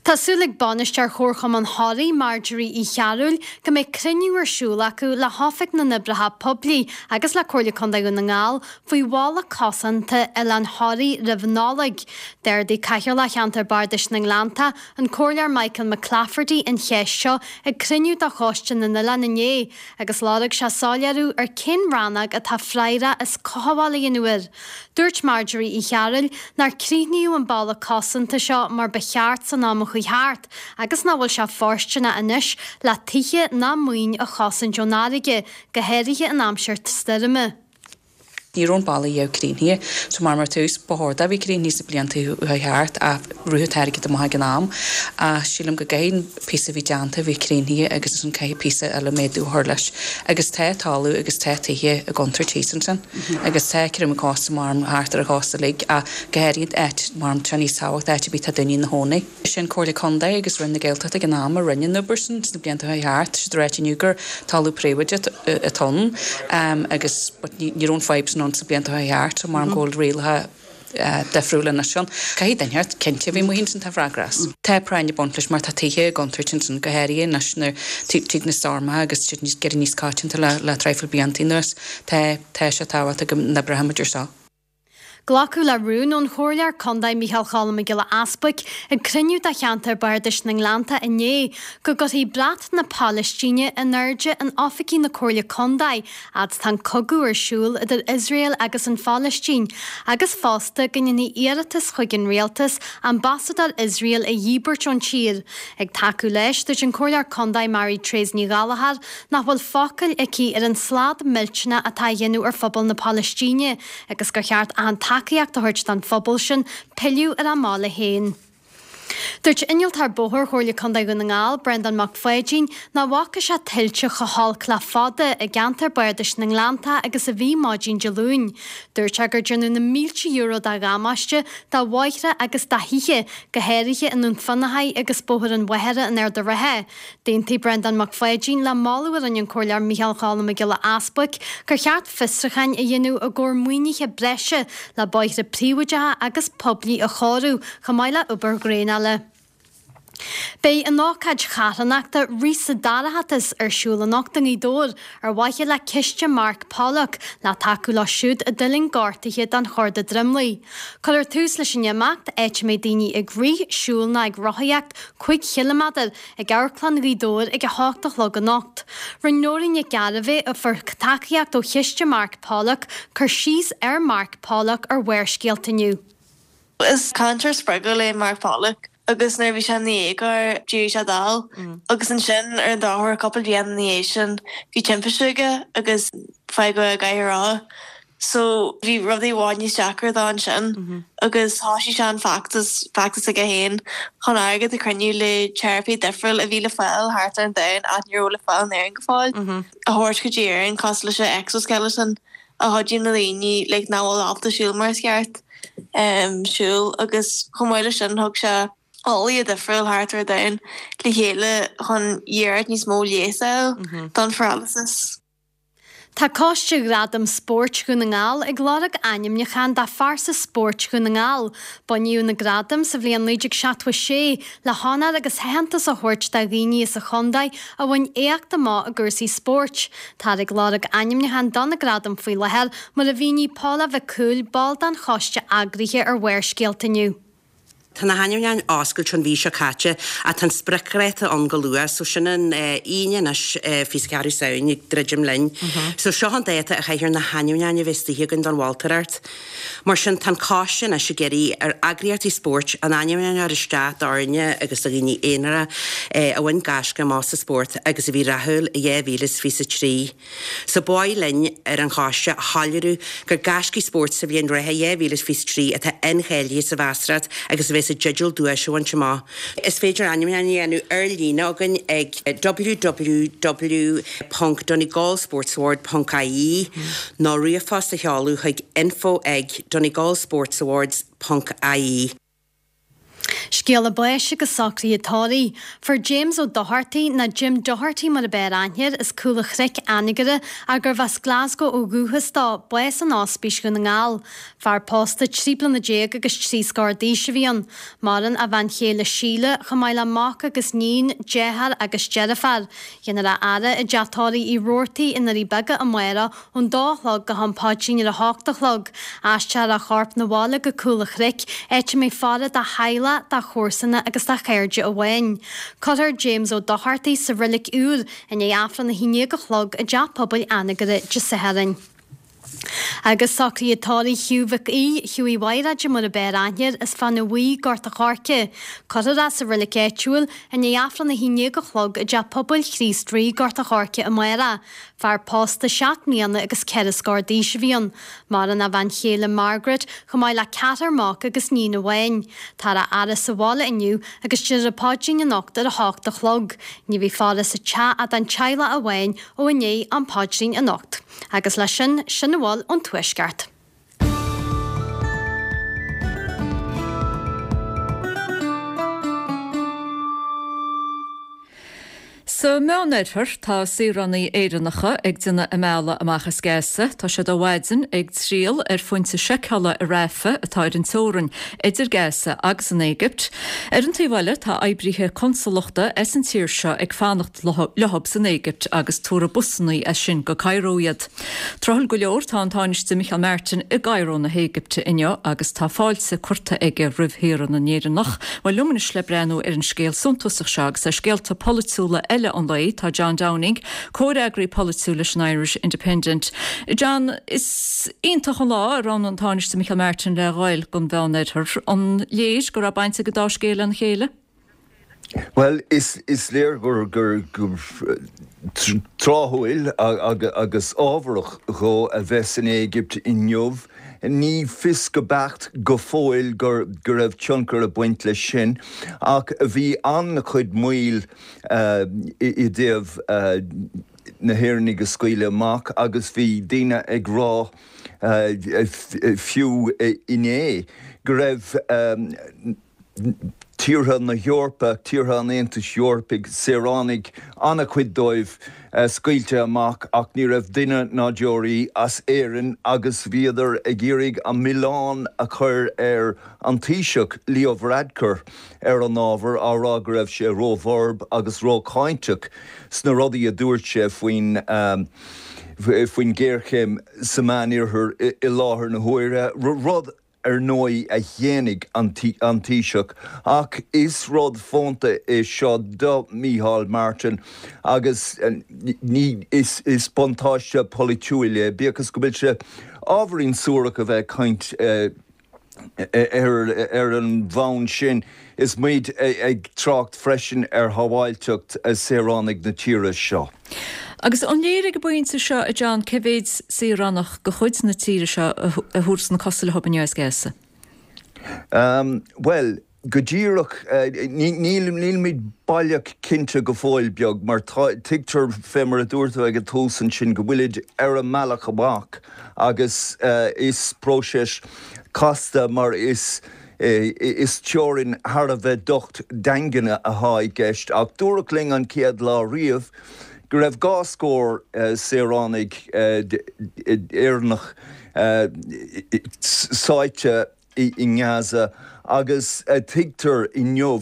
Tá súil ag bainisteoir Chomharchumann Thoraí, Marjorie Uí Chearúil, go mbeidh cruinniú ar siúl acu le hOifig na nOibreacha Poiblí agus le Comhairle Contae Dhún na nGall faoi bhalla cosanta Oileán Thoraí roimh Nollaig. D'ardaigh Cathaoirleach Cheantar Bardais na nGleanntach, an Comhairleoir Michael McClafferty an cheist seo ag cruinniú de Choiste na nOileán inné agus lorg sé soiléiriú ar cén rannóg atá freagrach as cothabháil a dhéanamh air. Dúirt Marjorie Uí Chearúil nár críochnaíodh an balla cosanta seo mar ba cheart san am a chuaigh thart agus nach bhfuil sé fóirsteanach anois le tithe ná maoin a chosaint ón fharraige, go háirithe in aimsir stoirme. Ní raibh an balla riamh críochnaithe so mar mar tús ba chóir dó a bheith críochnaithe sna blianta a chuaigh thart ach rugadh an t-airgead amach ag an am ach sílim go gcaithfidh an píosa a bhí déanta a bheith críochnaithe agus ansin caithfidh píosa eile méadú a chur leis agus tá talamh agus tá tithe i gcontúirt thíos ansin. Agus tá creimeadh cósta mar thart ar an chósta uilig ach go háirithe áit mar tá níos tábhachtaí áit ar bith tá daoine ina chónaí. Sin Comhairle Contae agus Roinn na Gaeltachta ag an am a rinne an obair sin sna blianta a chuaigh thart. Tá siad ag ráit inniu gur talamh príobháideach atá ann agus but ní raibh an fadhb sin ann sna blianta a chuaigh thart so mar go bhfuil rialacha difriúil anois ann. Caithfidh duine inteacht cinnte a bheith amuigh ansin tá freagra as. Tá práinn ag baint leis mar tá tithe i gcontúirt ansin go háirithe anois nuair tig na stoirmeacha agus siad níos ag éirí níos coitianta le le traidhfil blianta anuas. Tá, tá sé tábhachtach go n-oibreoidh muid ar seo. Glacadh le rún ón Chomhairleoir Contae Micheál Cholm Mac Giolla Easbuic ag cruinniú de cheantar Bardais na nGleannta inné go gcuirfí brat na Palaistíne in airde in oifigí na Comhairle Contae fhad 's tá an cogadh ar siúl idir Iosrael agus an Phalaistín agus fosta go ndéanfaí iarratas chuig an rialtas ambasadóir Iosrael a dhíbirt ón tír. Ag tacú leis, dúirt an Comhairleoir Contae Mary Treasa Ní Ghallchóir nach bhfuil focal aici ar an slad millteanach atá á dhéanamh ar phobal na Palaistíne agus gur cheart achan tacaíocht a thabhairt don phobal sin pilleadh ar a mbaile féin. Dúirt Innealtóir Bóthair Chomhairle Contae Dhún na nGall, Breandán Mac Pháidín, nach bhfaca sé tuilte chomh holc le fada i gceantar Bardais na nGleanntach agus a bhí maidin Dé Luain. Dúirt sé gur déanadh na mílte euro de dhamáiste do bhóithre agus do thithe, go háirithe i nDún Fionnachaidh agus Bóthar an Mhachaire in Ard an Rátha. D'aontaigh Breandán Mac Pháidín le moladh a rinne an Comhairleoir Micheál Cholm Mac Giolla Easbuic gur cheart fiosrúcháin a dhéanamh i gcomhair maoinithe breise le bóithre príobháideacha agus poiblí a chóiriú chomh maith le obair dhraenála. Beidh an ócáid charthanachta Rith sa Dorchadas ar siúl anocht i nGaoth Dobhair ar mhaithe le Ciste Mark Pollock le tacú leo siúd a d'fhuiling gortuithe den chorda dromlaigh. Cuirfear tús leis an imeacht, áit a mbeidh daoine ag rith, siúl nó ag rothaíocht 5 chiliméadar, ag Amharclann Ghaoth Dobhair ag 8 a chlog anocht. Rinne Nóirín Nic Gairbheith, a fuair tacaíocht ó Chiste Mark Pollock, cur síos ar Mark Pollock ar Bharrscéalta inniu. Is cainteoir spreagúil é Mark Pollock agus nuair a bhí sé ina dhéagóir d'éirigh sé dall agus ansin ar an drochuair cúpla bliain ina dhiaidh sin bhí timpiste aige agus fágadh i gcathaoir rotha. So bhí rudaí i bhfad níos deacra dó ansin agus thosaigh sé an feachtas, feachtas aige féin chun airgead a chruinniú le teiripí difriúil a bhí le fáil thart ar an domhan ach ní raibh le fáil in Éirinn go fóill, a thabhairt go dtí Éirinn cosúil leis an exoskeleton a chuidíonn le daoine like nach bhfuil ábalta siúl mar is ceart siúl agus chomh maith leis sin thug sé eolaithe difriúil thart ar an domhan le chéile chun iarracht níos mó leigheas a fháil don pharalysis. Tá Coiste Ghradaim Spóirt Dhún na nGall ag lorg ainmniúchán do Phearsa Spóirt Dhún na nGall. Bunaíodh na gradaim sa bhliain 1976 le honóir agus aitheantas a thabhairt do dhaoine as an chontae a bhain éacht amach i gcúrsaí spóirt. Táthar ag lorg ainmniúchán do na gradaim faoi láthair, mar a mhínigh Paula Mhic Cumhaill, ball den choiste eagraithe ar Bharrscéalta inniu. Tá na hainmniúcháin oscailte ón mhí seo caite ach tá an spriocdháta ann go luath so sin an Aoine anois 24 Samhain ag druidim linn. So seo an dáta a chaithfear na hainmniúcháin a bheith istigh againn don mholtóireacht. Mar sin tá an coiste anois ag iarraidh ar eagraíochtaí spóirt a n-ainmniúcháin a chur isteach d'fhoirne agus do dhaoine aonara a bhain gaisce amach sa spórt agus a bhí rathúil i 2023. So ba mhaith linn ar an choiste a shoiléiriú gur gaiscígh spóirt sa bhliain reatha 2023 atá incháilithe sa mheastóireacht agus a bheas i dteideal duais a bhaint amach. Is féidir ainmniúcháin a dhéanamh ar líne againn ag www.donegalsportsaward ponc ie nó ríomhphost a sheoladh chuig info ag donegalsportsawards ponc ie. Scéala báis agus socruithe tórraimh. Fuair James Ó Dochartaigh, nó Jim Doherty mar a b'fhearr aithne air, as Cúl an Chnoic, Anagaire, ach gurbh as Glasgow ó dhúchas dó, bás in Ospís Dhún na nGall. Fear pósta 13 bliana agus trí scór d'aois a bhí ann. Maireann a bhean chéile Síle, chomh maith le mac agus níon, deartháir agus deirfiúr. Déanfar a fhaire i dteach tórraimh Uí Robhartaigh i nDoirí Beaga amárach Ón dó a chlog go ham paidrín ar a hocht a chlog, aistreofar a chorp 'na bhaile go Cúl a' Chnoic, áit a mbeidh faire dá theaghlach, dá chomharsana agus dá chairde amháin. Cuirfear James Ó Dochartaigh sa Reilig Úr i ndiaidh Aifreann a haon déag a chlog i dTeach Pobail Anagaire Dé Sathairn. Agus socruithe tórraimh Hugh Mhic Aoidh, Hughie Mhaighréide mar a b'fhearr aithne air, as Fáinne Bhuí, Gort a' Choirce. Cuirfear é sa reilig áitiúil i ndiaidh Aifreann a haon déag a chlog i dTeach Pobail Chríost Rí, Gort a' Choirce amárach. Fear pósta 7 mbliana agus 4 scór d'aois a bhí ann. Maireann a bhean chéile Margaret, chomh maith le ceathrar mac agus níon amháin. Táthar á fhaire sa bhaile inniu agus déarfar an paidrín anocht ar a hocht a chlog. Ní bheidh faire sa teach ach don teaghlach amháin ó i ndiaidh an phaidrín anocht. Agus leis sin, sin a bhfuil ón Tuaisceart. Sa Meánoirthear, tá saoránaigh Éireannacha ag déanamh a mbealaigh amach as Gaza. Tá siad ó mhaidin ag triall ar phointe seiceála i Rafah, atá ar an teorainn idir Gaza agus an Éigipt. Ar an taobh eile, tá oibrithe consalachta as an tír seo ag fanacht leothab san Éigipt agus tabharfaidh busannaí as sin go Cairo iad. Tráthúil go leor, tá an Tánaiste Micheál Martin i gCairo na hÉigipte inniu agus tá fáilte curtha aige roimh shaoránaigh na nÉireannach. Bhuel, liom anois le breathnú ar an scéal suntasach seo agus ar scéalta polaitiúla eile an lae, tá John Downing, comhfhreagraí polaitiúil leis an Irish Independent. John, is iontach an lá a roghnaigh an Tánaiste Micheál Martin le ghoil don Mheánoirthear. An léir go raibh baint ag an dá scéal lena chéile? Bhuel, is léir gur tráthúil agus ábharach dhó a bheith san Éigipt inniu. Ní fios go beacht go fóill go raibh tionchar ag baint leis sin, ach bhí an-chuid moill i dtaobh na hÉireannaigh a scaoileadh amach agus bhí daoine ag rá fiú inné go raibh tíortha na hEorpa, tíortha an Aontais Eorpaigh, saoránaigh, an-chuid dóibh, scaoilte amach ach ní raibh duine ná deoraí as Éirinn agus bhíodar ag iarraidh an milleán a chur ar an Taoiseach, Leo Varadkar, ar an ábhar, á rá go raibh sé róbhorb agus rócháinteach sna rudaí a dúirt sé faoin faoin ghéarchéim sa Mheánoirthear i láthair na huaire, rud ar ndóigh, a shéanaigh an Taoiseach, ach is rud fónta é seo do Mícheál Martin agus ní is buntáiste polaitiúil é, bíodh is go bhfuil sé ábhairín suarach a bheith ag caint ar an bhonn sin is muid ag trácht freisin ar shábháilteacht saoránaigh na tíre seo. Agus an léir ag an bpointe seo, a John, cé mhéid saoránach de chuid na tíre seo a thabharfas na cosa leo inniu as Gaza? Bhuel, go díreach, nílimid baileach cinnte go fóill beag, mar tuigtear, fé mar a dúirt tú ag an tús ansin, go bhfuilid ar a mbealach amach agus is próiseas casta mar is is teorainn thar a bheith docht daingean atá i gceist ach dúradh linn an chéad lá riamh go raibh 2 scór saoránaigh Éireannach sáite i nGaza agus tuigtear inniu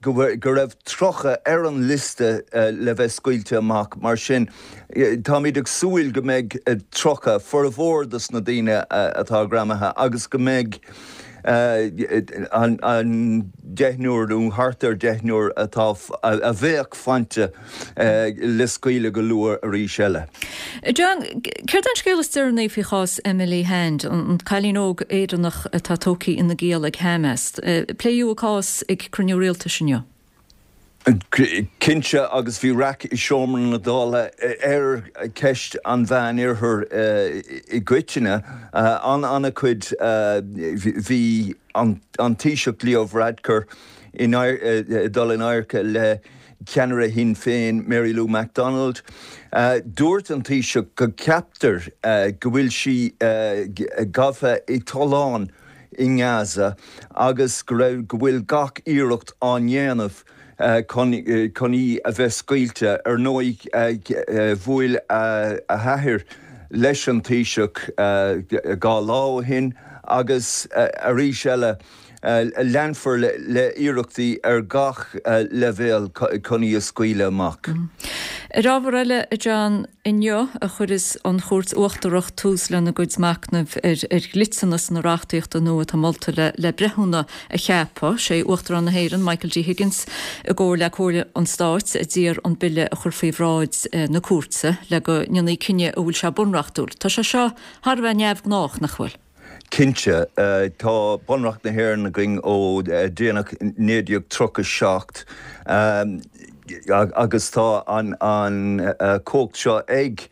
go raibh 30 ar an liosta le bheith scaoilte amach. Mar sin, táimid ag súil go mbeidh 30, formhór dos na daoine atá greamaithe, agus go mbeidh an deichniúr nó thart ar deichniúr atá, a bheadh faighte le scaoileadh go luath arís eile. John, céard é an scéal is deireanaí faoi chás Emily Hand, an cailín óg Éireannach atá tógtha ina giall ag Hamas? Pléadh a cás ag cruinniú rialtais inniu. Cinnte, agus bhí raic i seomra na Dála ar cheist an Mheán-Oirthir i gcoitinne. An-chuid, bhí an Taoiseach Leo Varadkar ag dul in adharca le ceannaire Shinn Féin, Mary Lou McDonald. Dúirt an Taoiseach go gceaptar go bhfuil sí gafa i dtollán i nGaza agus go raibh, go bhfuil gach iarracht á ndéanamh chun chun í a bheith scaoilte. Ar ndóigh, bhuail a hathair leis an Taoiseach 2 lá ó shin agus arís eile, Leanfar le hiarrachtaí ar gach leibhéal chun í a scaoileadh amach. Ar ábhar eile, a John, inniu a chuirfeas an Chúirt Uachtarach tús lena gcuid machnaimh ar dhliteanas na reachtaíochta nua atá molta le breithiúna a cheapadh. Sé Uachtarán na hÉireann, Michael D. Higgins, i gcomhar le Comhairle an Stáit, a d'iarr an bille a chur faoi bhráid na cúirte le go ndéanfaí cinneadh an bhfuil sé bunreachtúil. Tá sé seo thar a bheith neamhghnách, nach bhfuil? Cinnte. Tá Bunreacht na hÉireann againn ó déanach 1937 agus tá an chumhacht seo ag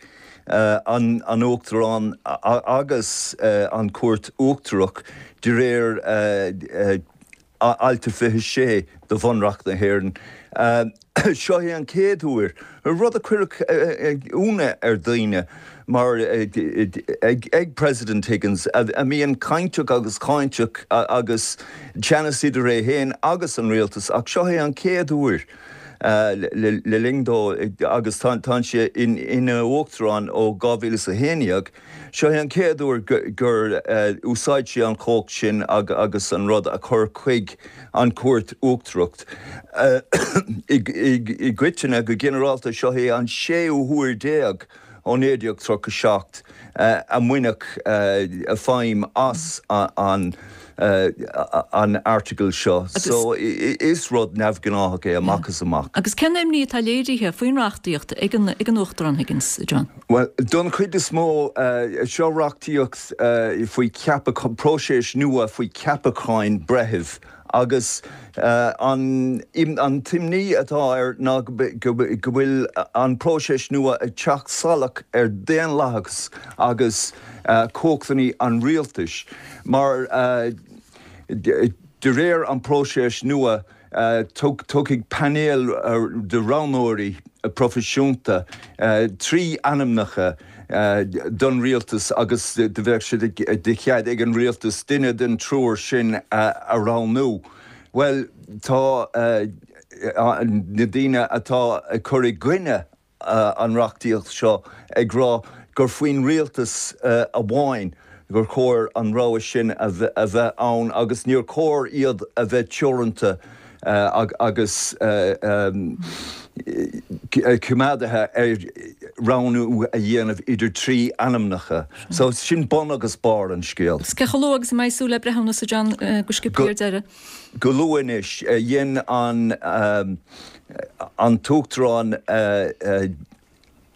an Uachtarán agus an Chúirt Uachtarach de réir Alt 26 de Bhunreacht na hÉireann. Seo é an chéad uair, rud a chuirfeadh ionadh ar dhaoine, mar ag President Higgins, a mbíonn cainteach agus cáinteach agus teannas idir é féin agus an rialtas, ach seo é an chéad uair. Le linn dó, agus tá sé ina Uachtarán ó 2011, seo é an chéad uair gur úsáid sé an chumhacht sin agus an rud a chur chuig an Chúirt Uachtarach. I gcoitinne, go ginearálta, seo é an séú huair déag ó 1937 a mbaineadh feidhm as an Airteagal seo. So, is rud neamhghnáthach é amach is amach. Agus cén imní atá léirithe faoin reachtaíocht ag an Uachtarán Higgins, John? Bhuel, don chuid is mó, seo reachtaíocht faoi cheapachán, próiseas nua faoi cheapacháin breithimh Agus an t-imní atá air ná go bhfuil an próiseas nua ag teacht salach ar daonlathas agus cumhachtanna an rialtais, mar de réir an próiseas nua tabharfaidh painéal de roghnóirí proifisiúnta 3 ainmneacha don rialtas agus do bheadh sé de chead ag an rialtas duine den triúr sin a roghnú. Bhuel, tá na daoine atá ag cur i gcoinne an reachtaíocht seo ag rá gur faoin rialtas amháin gur chóir an rogha sin a bheith ann agus níor chóir iad a bheith teoranta agus coimeádaithe ar roghnú a dhéanamh idir 3 ainmneacha. So sin bun agus barr an scéil. Cé chomh luath agus a mbeidh súil le breithiúnas, a John, go sciobtha ar deireadh? Go luath anois. Dhein an tUachtarán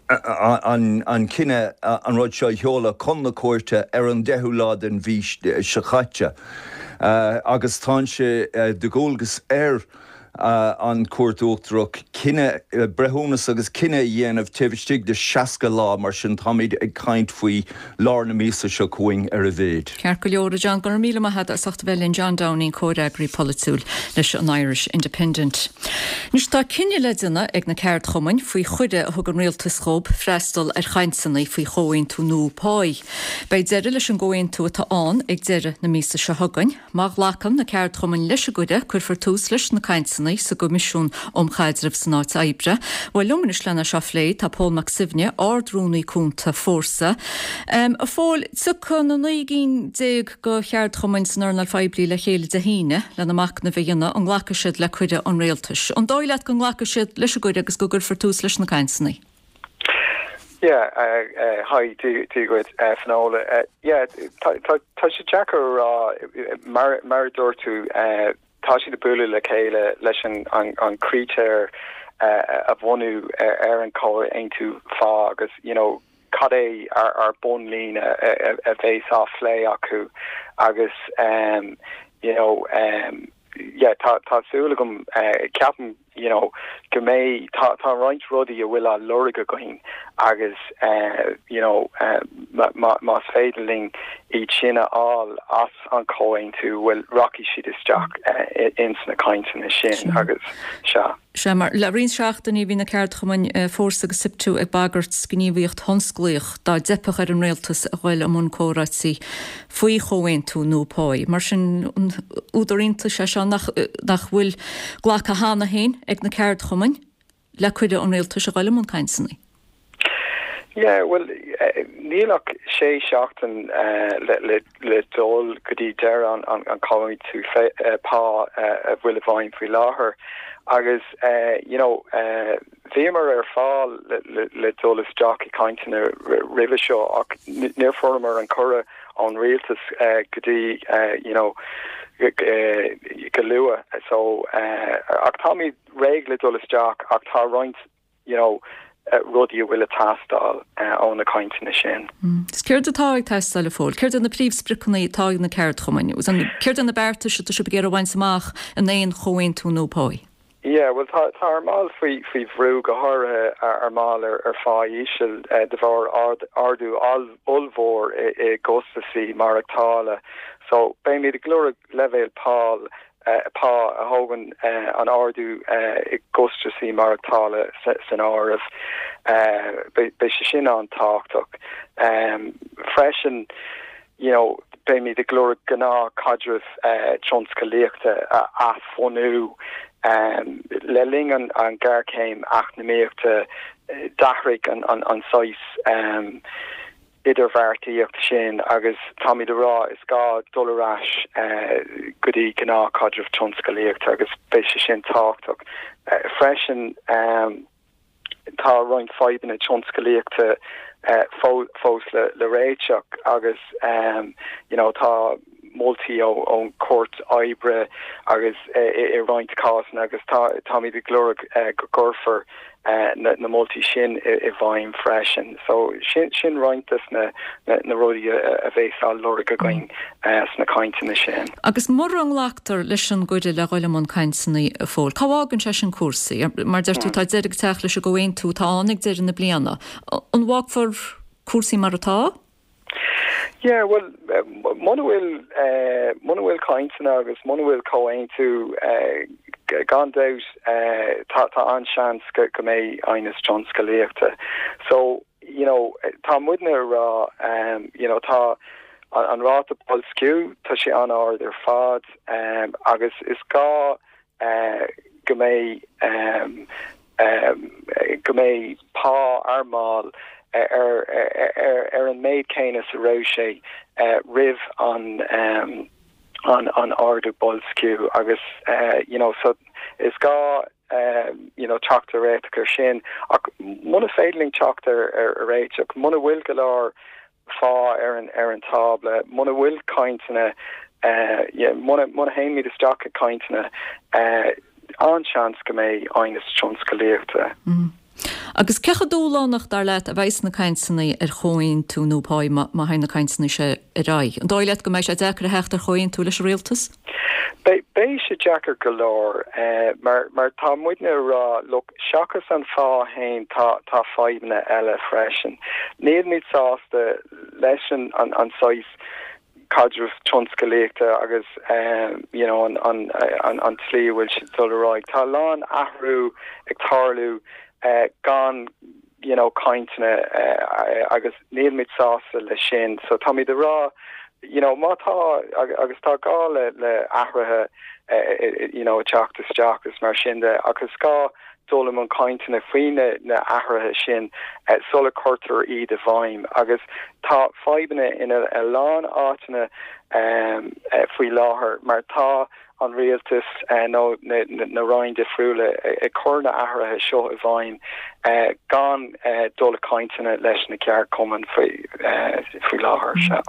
an cinneadh an rud seo a sheoladh chun na cúirte ar an 10ú lá den mhí seo caite agus tá sé de dhualgas ar an Chúirt Uachtarach cinneadh, breithiúnas agus cinneadh a dhéanamh taobh istigh de 60 lá, mar sin táimid ag caint faoi lár na míosa seo chugainn ar a mhéid. Ceart go leor, a John, go raibh míle maith agat as ucht a bheith linn, John Downing, comhfhreagraí polaitiúil leis an Irish Independent. Anois tá cinneadh le déanamh ag na ceardchumainn faoi chuireadh a thug an rialtas dhóibh freastal ar chainteanna faoi chomhaontú nua páí. Beidh deireadh leis an gcomhaontú atá ann ag deireadh na míosa seo chugainn. Má ghlacann na ceardchumainn leis an gcuireadh, cuirfear tús leis na cainteanna sa gCoimisiún um Chaidreamh san Áit Oibre. Bhuel, liom anois lena seo a phlé tá Pól Mac Suibhne, Ard-Rúnaí Cúnta Fórsa. A Phóil, tiocfaidh na 19 gcinn de cheardchumainn san earnáil phoiblí le chéile Dé hAoine lena machnamh a dhéanamh an nglacfaidh siad le cuireadh an rialtais. An dóigh leat go nglacfaidh siad leis an gcuireadh agus go gcuirfear tús leis na cainteanna? Yeah, hi, Dia dhuit, Finola. Yeah, tá sé deacair a rá, mar mar a dúirt tú, tá siad ag bualadh le chéile leis an an critéir a bhunú ar an chomhaontú phá agus, you know, cad é ár bunlíne a bheas á phlé acu agus you know yeah tá tá súil agam ceapaim you know go mbeidh tá tá roinnt rudaí a bhfuil á lorg againn agus you know más féidir linn iad sin a fháil as an chomhaontú bhuel rachaidh siad isteach ins na cainteanna sin agus sea. Sea, mar le roinnt seachtainí bhí na ceardchumainn Fórsa agus Siptu ag bagairt gníomhaíocht thionsclaíoch dá dteipfeadh ar an rialtas a ghoil i mbun comhráití faoi chomhaontú nua páí. Mar sin, an údar iontais é seo nach bhfuil glactha cheana féin ag na ceardchumainn le cuireadh an rialtais a ghoil i mbun cainteanna? Yeah, bhuel, níl ach sé seachtain le dul go dtí deireadh an chomhaontú pá a bhfuil i bhfeidhm faoi láthair agus you know bhíomar ar fáil le dul isteach i gcainteanna roimhe seo ach níor fuaireamar an cuireadh ón rialtas go dtí you know go luath so ach táimid réidh le dul isteach ach tá roinnt you know, rudaí a bhfuil ag teastáil ó na cainteanna sin. Is céard atá ag teastáil, a Phóil? Céard iad na príomhspriocanna atá ag na ceardchumainn? Céard iad na beartais atá sibh ag iarraidh a bhaint amach in aon chomhaontú nua páí? Yeah, bhuel tá tá ár mbaill faoi faoi bhrú, go háirithe ár mbaill ar ar phá íseal de bharr ardú ollmhór i i gcostasaí maireachtála. So beimid ag lorg leibhéal pá pá a thógann an ardú i gcostasaí maireachtála san áireamh. Beidh sé sin an-tábhachtach. Freisin, you know, beimid ag lorg gnáthchaidreamh tionscalaíochta a athbhunú. Le linn an ghéarchéim eacnamaíochta d'athraigh an saghas idirbheartaíocht sin agus táimid ag rá is gá dul ar ais go dtí gnáthchaidreamh tionscalaíochta agus beidh sé sin tábhachtach freisin. Tá roinnt fadhbanna tionscalaíochta fós le réiteach agus you know tá moltaí ón Chúirt Oibre agus i roinnt cásanna agus táimid ag lorg go gcuirfear na moltaí sin i bhfeidhm freisin. So sin roinnt des na rudaí a bheas á lorg againn sna cainteanna sin. Agus mura nglactar leis an gcuireadh le dhul i mbun cainteanna, a Phóil, cá bhfágann sé sin cúrsaí? Mar deir tú, tá deireadh ag teacht leis an gcomhaontú atá ann ag deireadh na bliana. An bhfágfar cúrsaí mar atá? Yeah, bhuel, muna bhfuil, muna bhfuil cainteanna agus muna bhfuil comhaontú, gan dabht, tá, tá an-seans go, go mbeidh aighneas tionscalaíochta. So, you know, tá muidne ag rá, you know, tá an ráta boilsciú, tá sé an-ard ar fad, agus is gá, go mbeidh go mbeidh pá ár mball ar ar an méid céanna is a raibh sé roimh an an ardú boilsciú agus you know so is gá you know teacht ar réiteach ar sin ach muna féidir linn teacht ar ar réiteach muna bhfuil go leor phá ar an ar an tábla, muna bhfuil cainteanna, muna muna théimid isteach i gcainteanna, an-seans go mbeidh aighneas tionscalaíochta. Agus cé chomh dúshlánach, dar leat, a bheidh sna cainteanna ar chomhaontú nua páí má má théann na cainteanna seo ar aghaidh? An dóigh leat go mbeidh sé deacair a theacht ar chomhaontú leis an rialtas? Beidh beidh sé deacair go leor mar mar tá muidne ag rá look seachas an phá fhéin tá tá fadhbanna eile freisin. Nílimid sásta leis an an an saghas caidreamh tionscalaíochta agus you know an an an an tslí a bhfuil siad dul ar aghaidh. Tá a lán athrú ag tarlú gan you know cainteanna agus nílimid sásta leis sin. So táimid ag rá you know má tá agus tá gá le le athruithe you know ag teacht isteach is mar sin de ach is gá dul i mbun cainteanna faoi na na athruithe sin sula cuirtear iad i bhfeidhm agus tá fadhbanna in a lán áiteanna faoi láthair mar tá an rialtas nó na roinn difriúla ag cur na athruithe seo i bhfeidhm gan dul i cainteanna leis na ceardchumainn faoi láthair. Sea.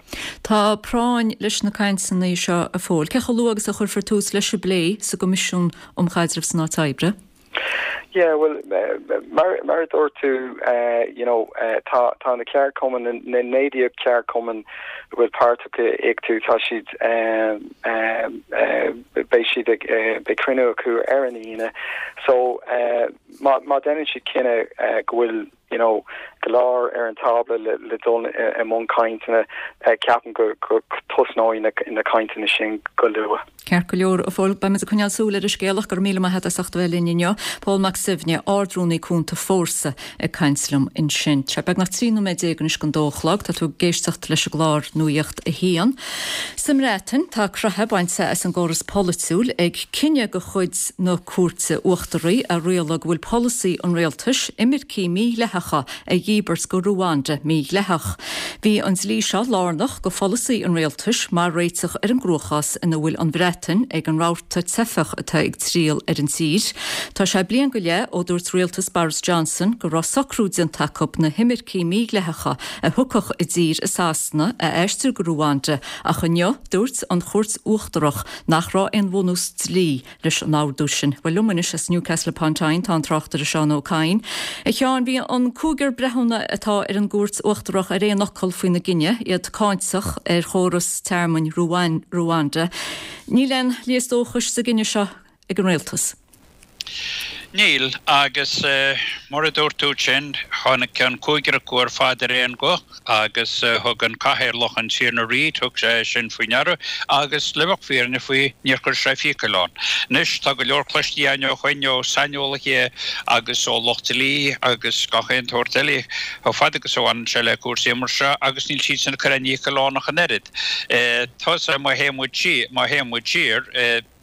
Tá práinn leis na cainteanna seo a Phóil. Cé chomh luath agus a chuirfear tús leis an bplé sa gCoimisiún um Chaidreamh san Áit Oibre? Yeah, bhuel, mar, mar a dúirt tú, you know, tá, tá na ceardchumainn, na 19 ceardchumann a bhfuil páirteach i ICTU, tá siad, beidh siad ag, beidh cruinniú acu ar an Aoine. So, má, má déanann siad cinneadh go bhfuil, you know, go leor ar an tábla le, le dul i mbun cainteanna, ceapaim go, go tosnóidh na, na cainteanna sin go luath. Ceart go leor, a Phóil, beimid ag coinneáil súil ar an scéal ach go raibh míle maith agat as ucht a bheith linn inniu. Pól Mac Suibhne, Ard-Rúnaí Cúnta Fórsa ag caint liom ansin. Tá sé beagnach 13 nóiméad anois don dó a chlog. Tá tú ag éisteacht leis an gclár Nuacht a hAon. Sa mBreatain, tá croitheadh bainte as an gcóras polaitiúil ag cinneadh de chuid na Cúirte Uachtaraí a rialaigh go bhfuil polasaí an rialtais imircigh mídhleathacha a dhíbirt go Ruanda mídhleathach. Bhí an dlí seo lárnach go pholasaí an rialtais mar réiteach ar an gcruachás ina bhfuil an Bhreatain ag an rabharta teifeach atá ag triall ar an tír. Tá sé bliain go leith ó dúirt rialtas Boris Johnson go raibh socrú déanta acu na himircigh mídhleathacha a thiocfadh i dtír i Sasana a aistriú go Ruanda ach inniu dúirt an Chúirt Uachtarach nach raibh aon bhunús dlí leis an ordú sin. Bhuel, liom anois as Newcastle upon Tyne tá an tráchtaire Seán Ó Cadhain. A Sheáin, bhí an cúigear breithiúna atá ar an gCúirt Uachtarach ar aon fhocal faoina gcinneadh, iad cáinteach ar chóras tearmainn Ruanda. Níl aon léas dóchais sa gcinneadh seo ag an rialtas. Níl, agus mar a dúirt tú ansin, tháinig an cúigear acu ar fad ar aon ghuth agus thug an cathaoirleach, an Tiarna Reid, thug sé sin faoi ndeara agus le bheadh fírinne faoi, níor chuir sé fiacail ann. Anois, tá go leor cloiste againn ó shoin ó saineolaithe agus ó lucht dlí agus gach aon tsórt eile chomh fada agus a bhaineann sé le cúrsaí mar seo agus níl siadsan ag cur aon fhiacail ann ach an oiread. Tá, má théann muid siar, má théann muid siar.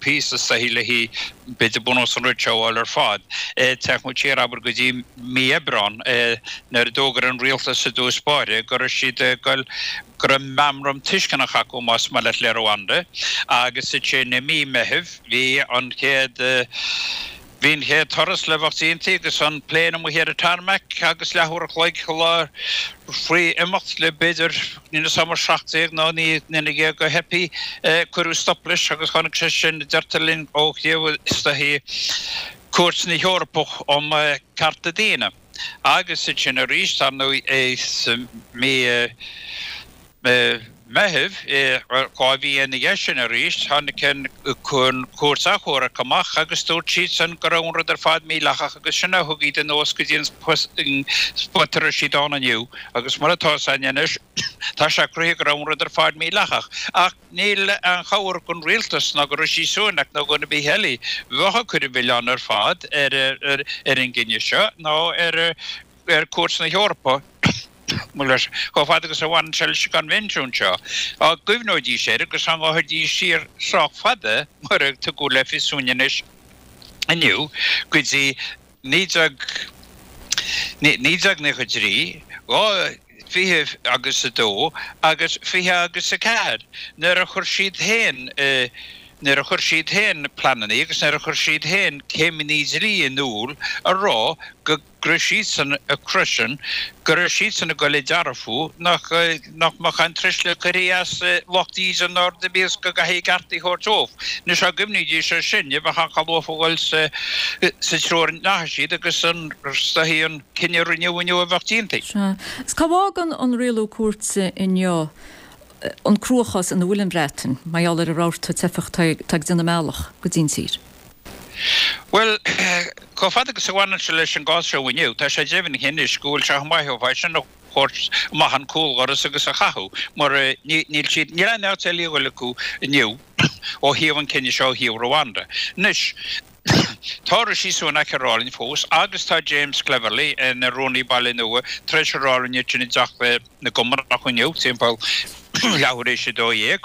píosa is dóichí le haghaidh b'fhéidir bunús an rud seo a fháil ar fad. Téann muid siar, abair, go dtí mí Aibreán nuair a d'fhógair an rialtas i dtús báire go raibh siad ag goil, go raibh meamram tuisceanach acu, más maith leat, le Rwanda agus ansin i mí Meithimh bhí an chéad, Bhí an chéad turas le bheith déanta agus an plane amuigh ar an tarmac agus leathuair a chloig faoi imeacht le b'fhéidir, níl 'fhios a'm 17 nó 19 nduine de theifigh, cuireadh stop leis agus tháinig sé sin, deirtear linn, ó thaobh is dóichí Cúirt na hEorpa um Cearta Daonna. Agus ansin arís, dar ndóigh, sa mí. Meitheamh, 2 mhí ina dhiaidh sin arís, tháinig an Chúirt Achomhairc amach agus dúirt siadsan go raibh an rud ar fad mídhleathach agus sin a thug iad anuas go dtí an spot a raibh siad ann inniu agus mar atá 'fhios a'inn anois, tá sé cruthaithe go raibh an rud ar fad mídhleathach. Ach níl aon chabhair gon rialtas ná go Rishi Sunak ná dhuine ar bith eile bheadh ag cur an mhilleáin ar fad ar an gcinneadh seo ná ar ar Chúirt na hEorpa, chomh fada agus a bhaineann sé leis an gCoinbhinsiún seo, dá gcuimhneoidís air agus dá ngabhfaidís siar sách fada, mar a tugadh le fios dúinn anois inniu, go dtí 1993, 2, 20 agus 2 agus 20 agus 4, nuair a chuir siad féin, nuair a chuir siad féin pleananna agus nuair a chuir siad féin céimeanna dlí in iúl a rá go go raibh siadsan ag cur sin, go raibh siadsan ag goil ag dearbhú nach nach mbeadh aon truisle curtha as lucht díde ná rud ar bith agus go gcaithfí a gcearta a thabhairt dóibh. Anois dá gcuimhnídís air sin, ní bheadh aon chall uafa a dhul sa sa treo a ndeachaigh siad agus an is dóichí an cinneadh a rinneadh inniu a bheadh déanta. Sea. Is cá bhfágann an rialú cúirte inniu an cruachás ina bhfuil an Bhreatain mar gheall ar an rabharta teifeach atá ag déanamh a mbealach go dtí an tír? Bhuel, chomh fada agus a bhaineann sé leis an gcás seo inniu, tá sé deimhnithe anois go bhfuil sé chomh maith ó é sin a thabhairt amach an cúldhoras agus a chaitheamh, mar níl siad, níl aon áit eile a dhul acu inniu ó thaobh an chinnidh seo ó thaobh Rwanda. Anois, tá Rishi Sunak ag rá linn fós agus tá James Cleverly ina rúnaí baile nua tar éis a rá linn ansin i dTeach na gCommonach inniu timpeall leathuair théis 12.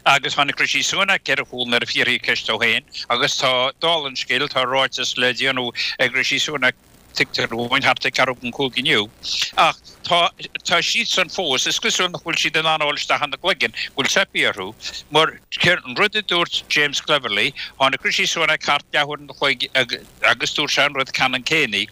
Agus tháinig Rishi Sunak ar a chúl nuair a fiafraíodh ceist dó féin agus tá, dála an scéil, tá ráiteas le déanamh ag Rishi Sunak, tuigtear dúinn, thart ag ceathrú don chúig inniu. Ach tá, tá siadsan fós, is cosúil nach bhfuil siad in ann a dhul isteach ina gcloigeann, go bhfuil teipthe orthu, mar an rud a dúirt James Cleverly, tháinig Rishi Sunak thart leathuair an chloig agus dúirt sé an rud ceannann céanna,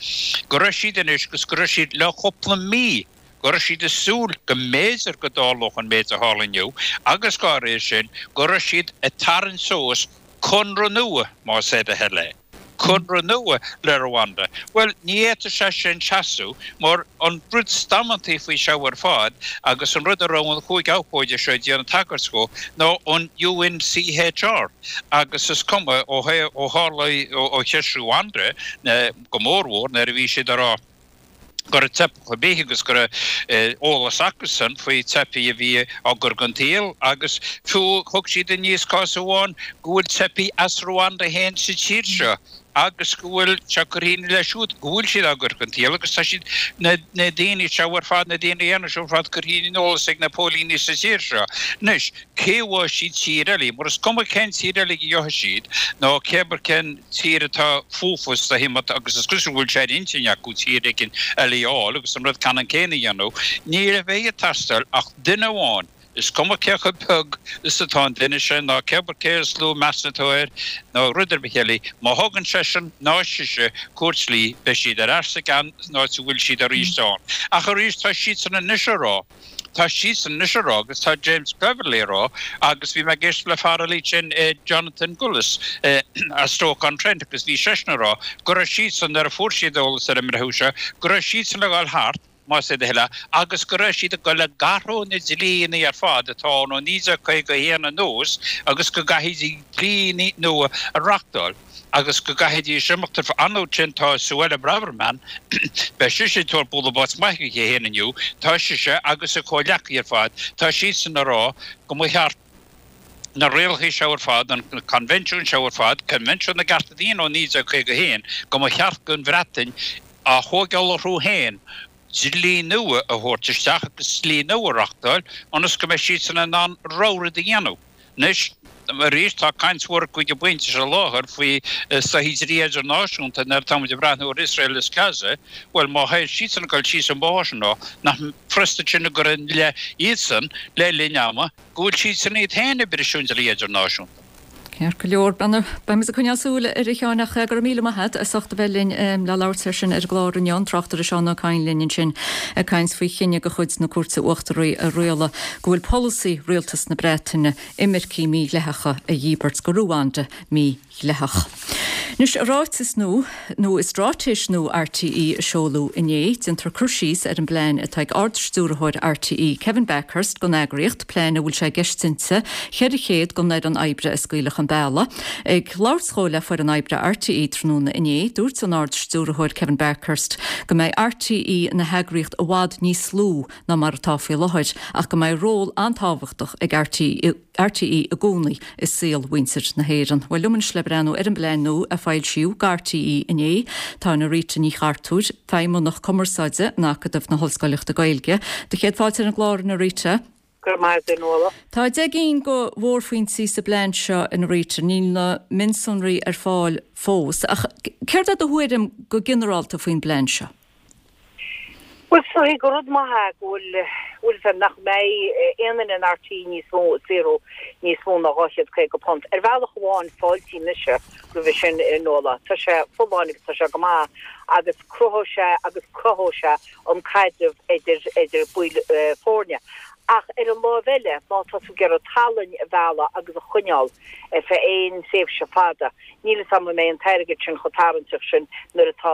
go raibh siad anois agus go raibh siad le cúpla mí, go raibh siad ag súil go mb'fhéidir go dtarlódh an méid a tharla inniu agus dá réir sin go raibh siad ag tarraingt suas conradh nua, más é do thoil é, conradh nua le Rwanda. Bhuel, ní fhéadfadh sé sin seasamh mar an rud is damanta faoi seo ar fad agus an rud a raibh an chúig abhcóide seo ag déanamh tagairt dhó ná an UNCHR agus is cuma ó tharla ó cheist Rwanda go mórmhór nuair a bhí siad ag rá go raibh teifeach ar bith agus go raibh eolas acusan faoi teifigh a bhí á gcur den tsaol agus fiú thug siad aníos cás amháin go bhfuil teifigh as Rwanda féin sa tír seo agus go bhfuil sé curtha ina leith siúd go bhfuil siad á gcur den tsaol agus tá siad, na daoine seo ar fad, na daoine aonair seo ar fad curtha ar an eolas ag na póilíní sa tír seo. Anois, cé a bhfaighidh siad tír eile, mar is cuma cén tír eile a gheobhaidh siad nó cé abair cén tír atá fúthu is dóichí agus is cosúil go bhfuil sé ar intinn acu tír éigin eile a fháil agus an rud ceannann céanna a dhéanamh, ní bheidh ag teastáil ach duine amháin, is cuma cé chomh beag is atá an duine sin ná cé abair cé is lú meas atá air nó rud ar bith eile, má thugann seisean ná sise cuairt dlí beidh siad ar ais sa gceann san áit a bhfuil siad arís ann. Ach arís tá siadsan anois a rá. Tá siadsan anois a rá agus tá James Cleverly a rá agus bhí mé ag éisteacht le fear eile sin Jonathan Gullis as Stoke-on-Trent agus bhí seisean a rá go raibh siadsan nuair a fuair siad eolas ar an mbreitheamh seo go raibh siadsan ag dul thart más é do thoil é agus go raibh siad ag dul ag athrú na dlíonna ar fad atá ann ó 1951 anuas agus go gcaithfidís dlíonna nua a reachtáil. agus go gcaithfidís imeacht ar fad. Ansin tá Suella Braverman, beidh sise ag tabhairt bualadh bos maith aici féin inniu, tá sise agus a comhghleacaithe ar fad, tá siadsan ag rá go mba cheart na rialacha seo ar fad, an coinbhinsiún seo ar fad, Coinbhinsiún na gCearta Daonna ó 1951, go mba cheart don Bhreatain a thógáil orthu féin dlí nua a thabhairt isteach agus dlí nua a reachtáil ionas go mbeidh siadsan in ann a rogha rud a dhéanamh. Anois. Arís, tá caint mhór ag an bpointe seo i láthair faoi soithí dlí idirnáisiúnta nuair atá muid ag breathnú ar Iosrael is Gaza. Bhuel, má théid siadsan ag dul síos an bóthar sin, nach furasta sin a chur i leith iadsan le linn ama go bhfuil siadsan iad féin ag briseadh an dlí idirnáisiúnta. Ceart go leor, beimid ag coinneáil súil air a Sheáin ach go raibh míle maith agat as ucht a bheith linn le labhairt air sin ar an gclár inniu. An tráchtaire Seán Ó Cadhain linn ansin ag caint faoi chinneadh de chuid na Cúirte Uachtaraí a rialaigh go bhfuil polasaí Rialtas na Breataine imircigh mhídhleathacha a dhíbirt go Ruanda mídhleathach. Anois, i ráiteas nua, nó i straitéis nua RTÉ a seoladh inné, déantar cur síos ar an bplean atá ag Ard-Stiúrthóir RTÉ, Kevin Bakhurst, don eagraíocht, plean a bhfuil sé i gceist inti 400 den fhoireann oibre a scaoileadh chun bealaigh. Ag labhairt dhó le foireann oibre RTÉ tráthnóna inné, dúirt an Ard-Stiúrthóir Kevin Bakhurst go mbeidh RTÉ ina heagraíocht i bhfad níos lú ná mar atá faoi láthair ach go mbeidh ról an-tábhachtach ag RTÉ RTÉ i gcónaí i saol mhuintir na hÉireann. Bhuel, liom anois le breathnú ar an bplean nua a foilsíodh do RTÉ inné, tá Norita Ní Chartúir, Feidhmeannach Cumarsáide in Acadamh na hOllscoileachta Gaeilge. Do chéad fáilte ar an gclár, a Norita. Go raibh maith agat, a Nuala. Tá 10 gcinn de mhórphointí sa bplean seo, a Norita. Níl na mionsonraí ar fáil fós, ach céard é do thuairim go ginearálta faoin bplean seo? Bhuel, is dóigh gur rud maith é go bhfuil, bhfuil a fhios a'd, nach mbeidh aon duine in RTÉ níos mó ag saothrú níos mó ná £250. Ar bhealach amháin, fáiltím mise roimhe sin, a Nuala. Tá sé folláin agus tá sé go maith agus cruthóidh sé agus cothóidh sé an caidreamh idir, idir baill foirne. Ach ar an láimh eile, má tá tú ag iarraidh tallainn a mhealladh agus a choinneáil ar feadh aon tréimhse fada, Níl fhios a'm an mbeidh an t-airgead sin chomh tarraingteach sin nuair atá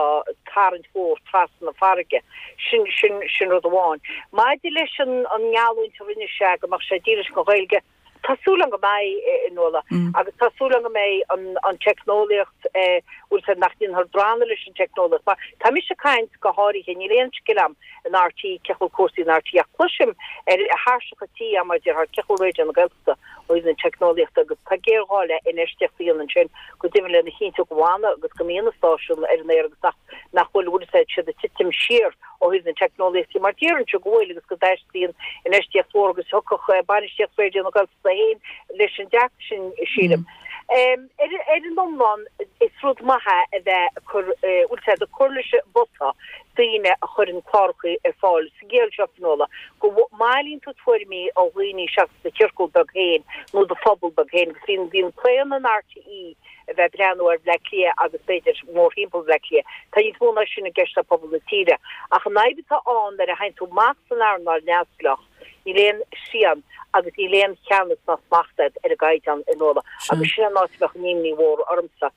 tarraingt mhór trasna na farraige. Sin, sin, sin rud amháin. Maidir leis an, an ngeallúint a rinne sé go mbeadh sé dílis don Ghaeilge, tá súil agam go mbeidh, a Nuala, agus tá súil agam go mbeidh an, an teicneolaíocht, eh, bhfuil fhios a'd, nach ndéanfar drannadh leis an teicneolaíocht. Mar tá mise ag caint go háirithe, níl aon scil a'm in RTÉ, cén chaoi a bhfuil cúrsaí in RTÉ, ach cloisim ar thairseacha tí a'm mar a déarfá, cén chaoi a bhfuil Raidió na Gaeltachta. ó thaobh na teicneolaíochta agus tá géarghá le infheistíocht a dhéanamh ansin go deimhin lena chinntiú go bhfanfaidh agus go mbíonn na stáisiúin ar an aer agus nach nach bhfuil bhfuil fhios a'd siad ag titim siar ó thaobh na teicneolaíochta mar déarfainnse go bhfuil agus go dteastaíonn infheistíocht mhór agus thiocfadh bainistíocht Raidió na Gaeltachta féin leis an dearcadh sin sílim. Ar ar an iomlán is rud maith é a bheith ag cur bhfuil fhios a'd ag cur leis an bpota daoine a chuireann cláracha ar fáil sa gciall seo, Fionnuala, go mbailíonn tú tuairimí ó dhaoine seachas do chiorcal beag féin nó do phobal beag féin agus bhíonn, bhíonn claonadh in RTÉ a bheith ag breathnú ar Bhleá Cliath agus b'fhéidir mórthimpeall Bhleá Cliath. Tá níos mó ná sin i gceist le pobal na tíre. Ach an fhadhb atá ann nuair a théann tú amach san earnáil neamhspleách, níl aon srian agus níl aon cheannas ná smacht agat ar an gcaighdeán, a Nuala, agus sin an áit a bheadh an imní mhór ormsa.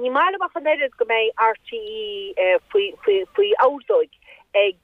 Ní maith liom ach an oiread go mbeidh RTÉ faoi, faoi, faoi ordóig ag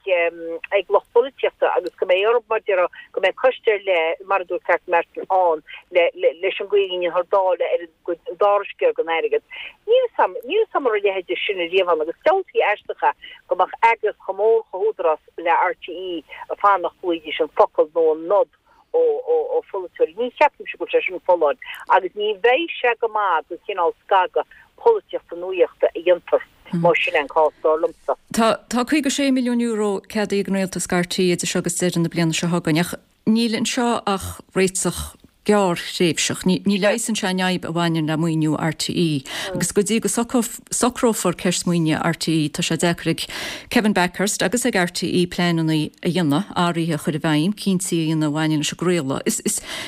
ag lucht polaitíochta agus go mbeidh orthu, mar a déarfá, go mbeidh coiste ar leith, mar a dúirt Catherine Martin, ann le leis an gcaoi a ndéanfar dáileadh ar an dara sciar den airgead. Níl 'fhios a'm, níl 'fhios a'm an raibh a leithéid sin riamh ann agus diabhaltaí aisteach é go mbeadh eagraíocht chomh mór chomh húdarás le RTÉ ag fanacht go bhfaighidís an focal nó an nod ó pholaiteoirí. Ní cheapaimse go bhfuil sé sin folláin agus ní bheidh sé go maith don chineál scagadh polaitíochta nuaíochta a dhéantar más sin é an cás, dar liomsa. Tá €56 milliún ceadaithe ag an Rialtas do RTÉ idir seo agus deireadh na bliana seo chugainn ach níl anseo ach réiteach gearrthréimhseach. Ní leigheasann sé an fhadhb a bhaineann le maoiniú RTÉ agus go dtí go socrófar ceist maoinithe RTÉ tá sé deacair ag Kevin Bakhurst agus ag RTÉ pleananna a dhéanamh, athruithe a chur i bhfeidhm, cinntí a dhéanamh a bhaineann leis an gcraoladh.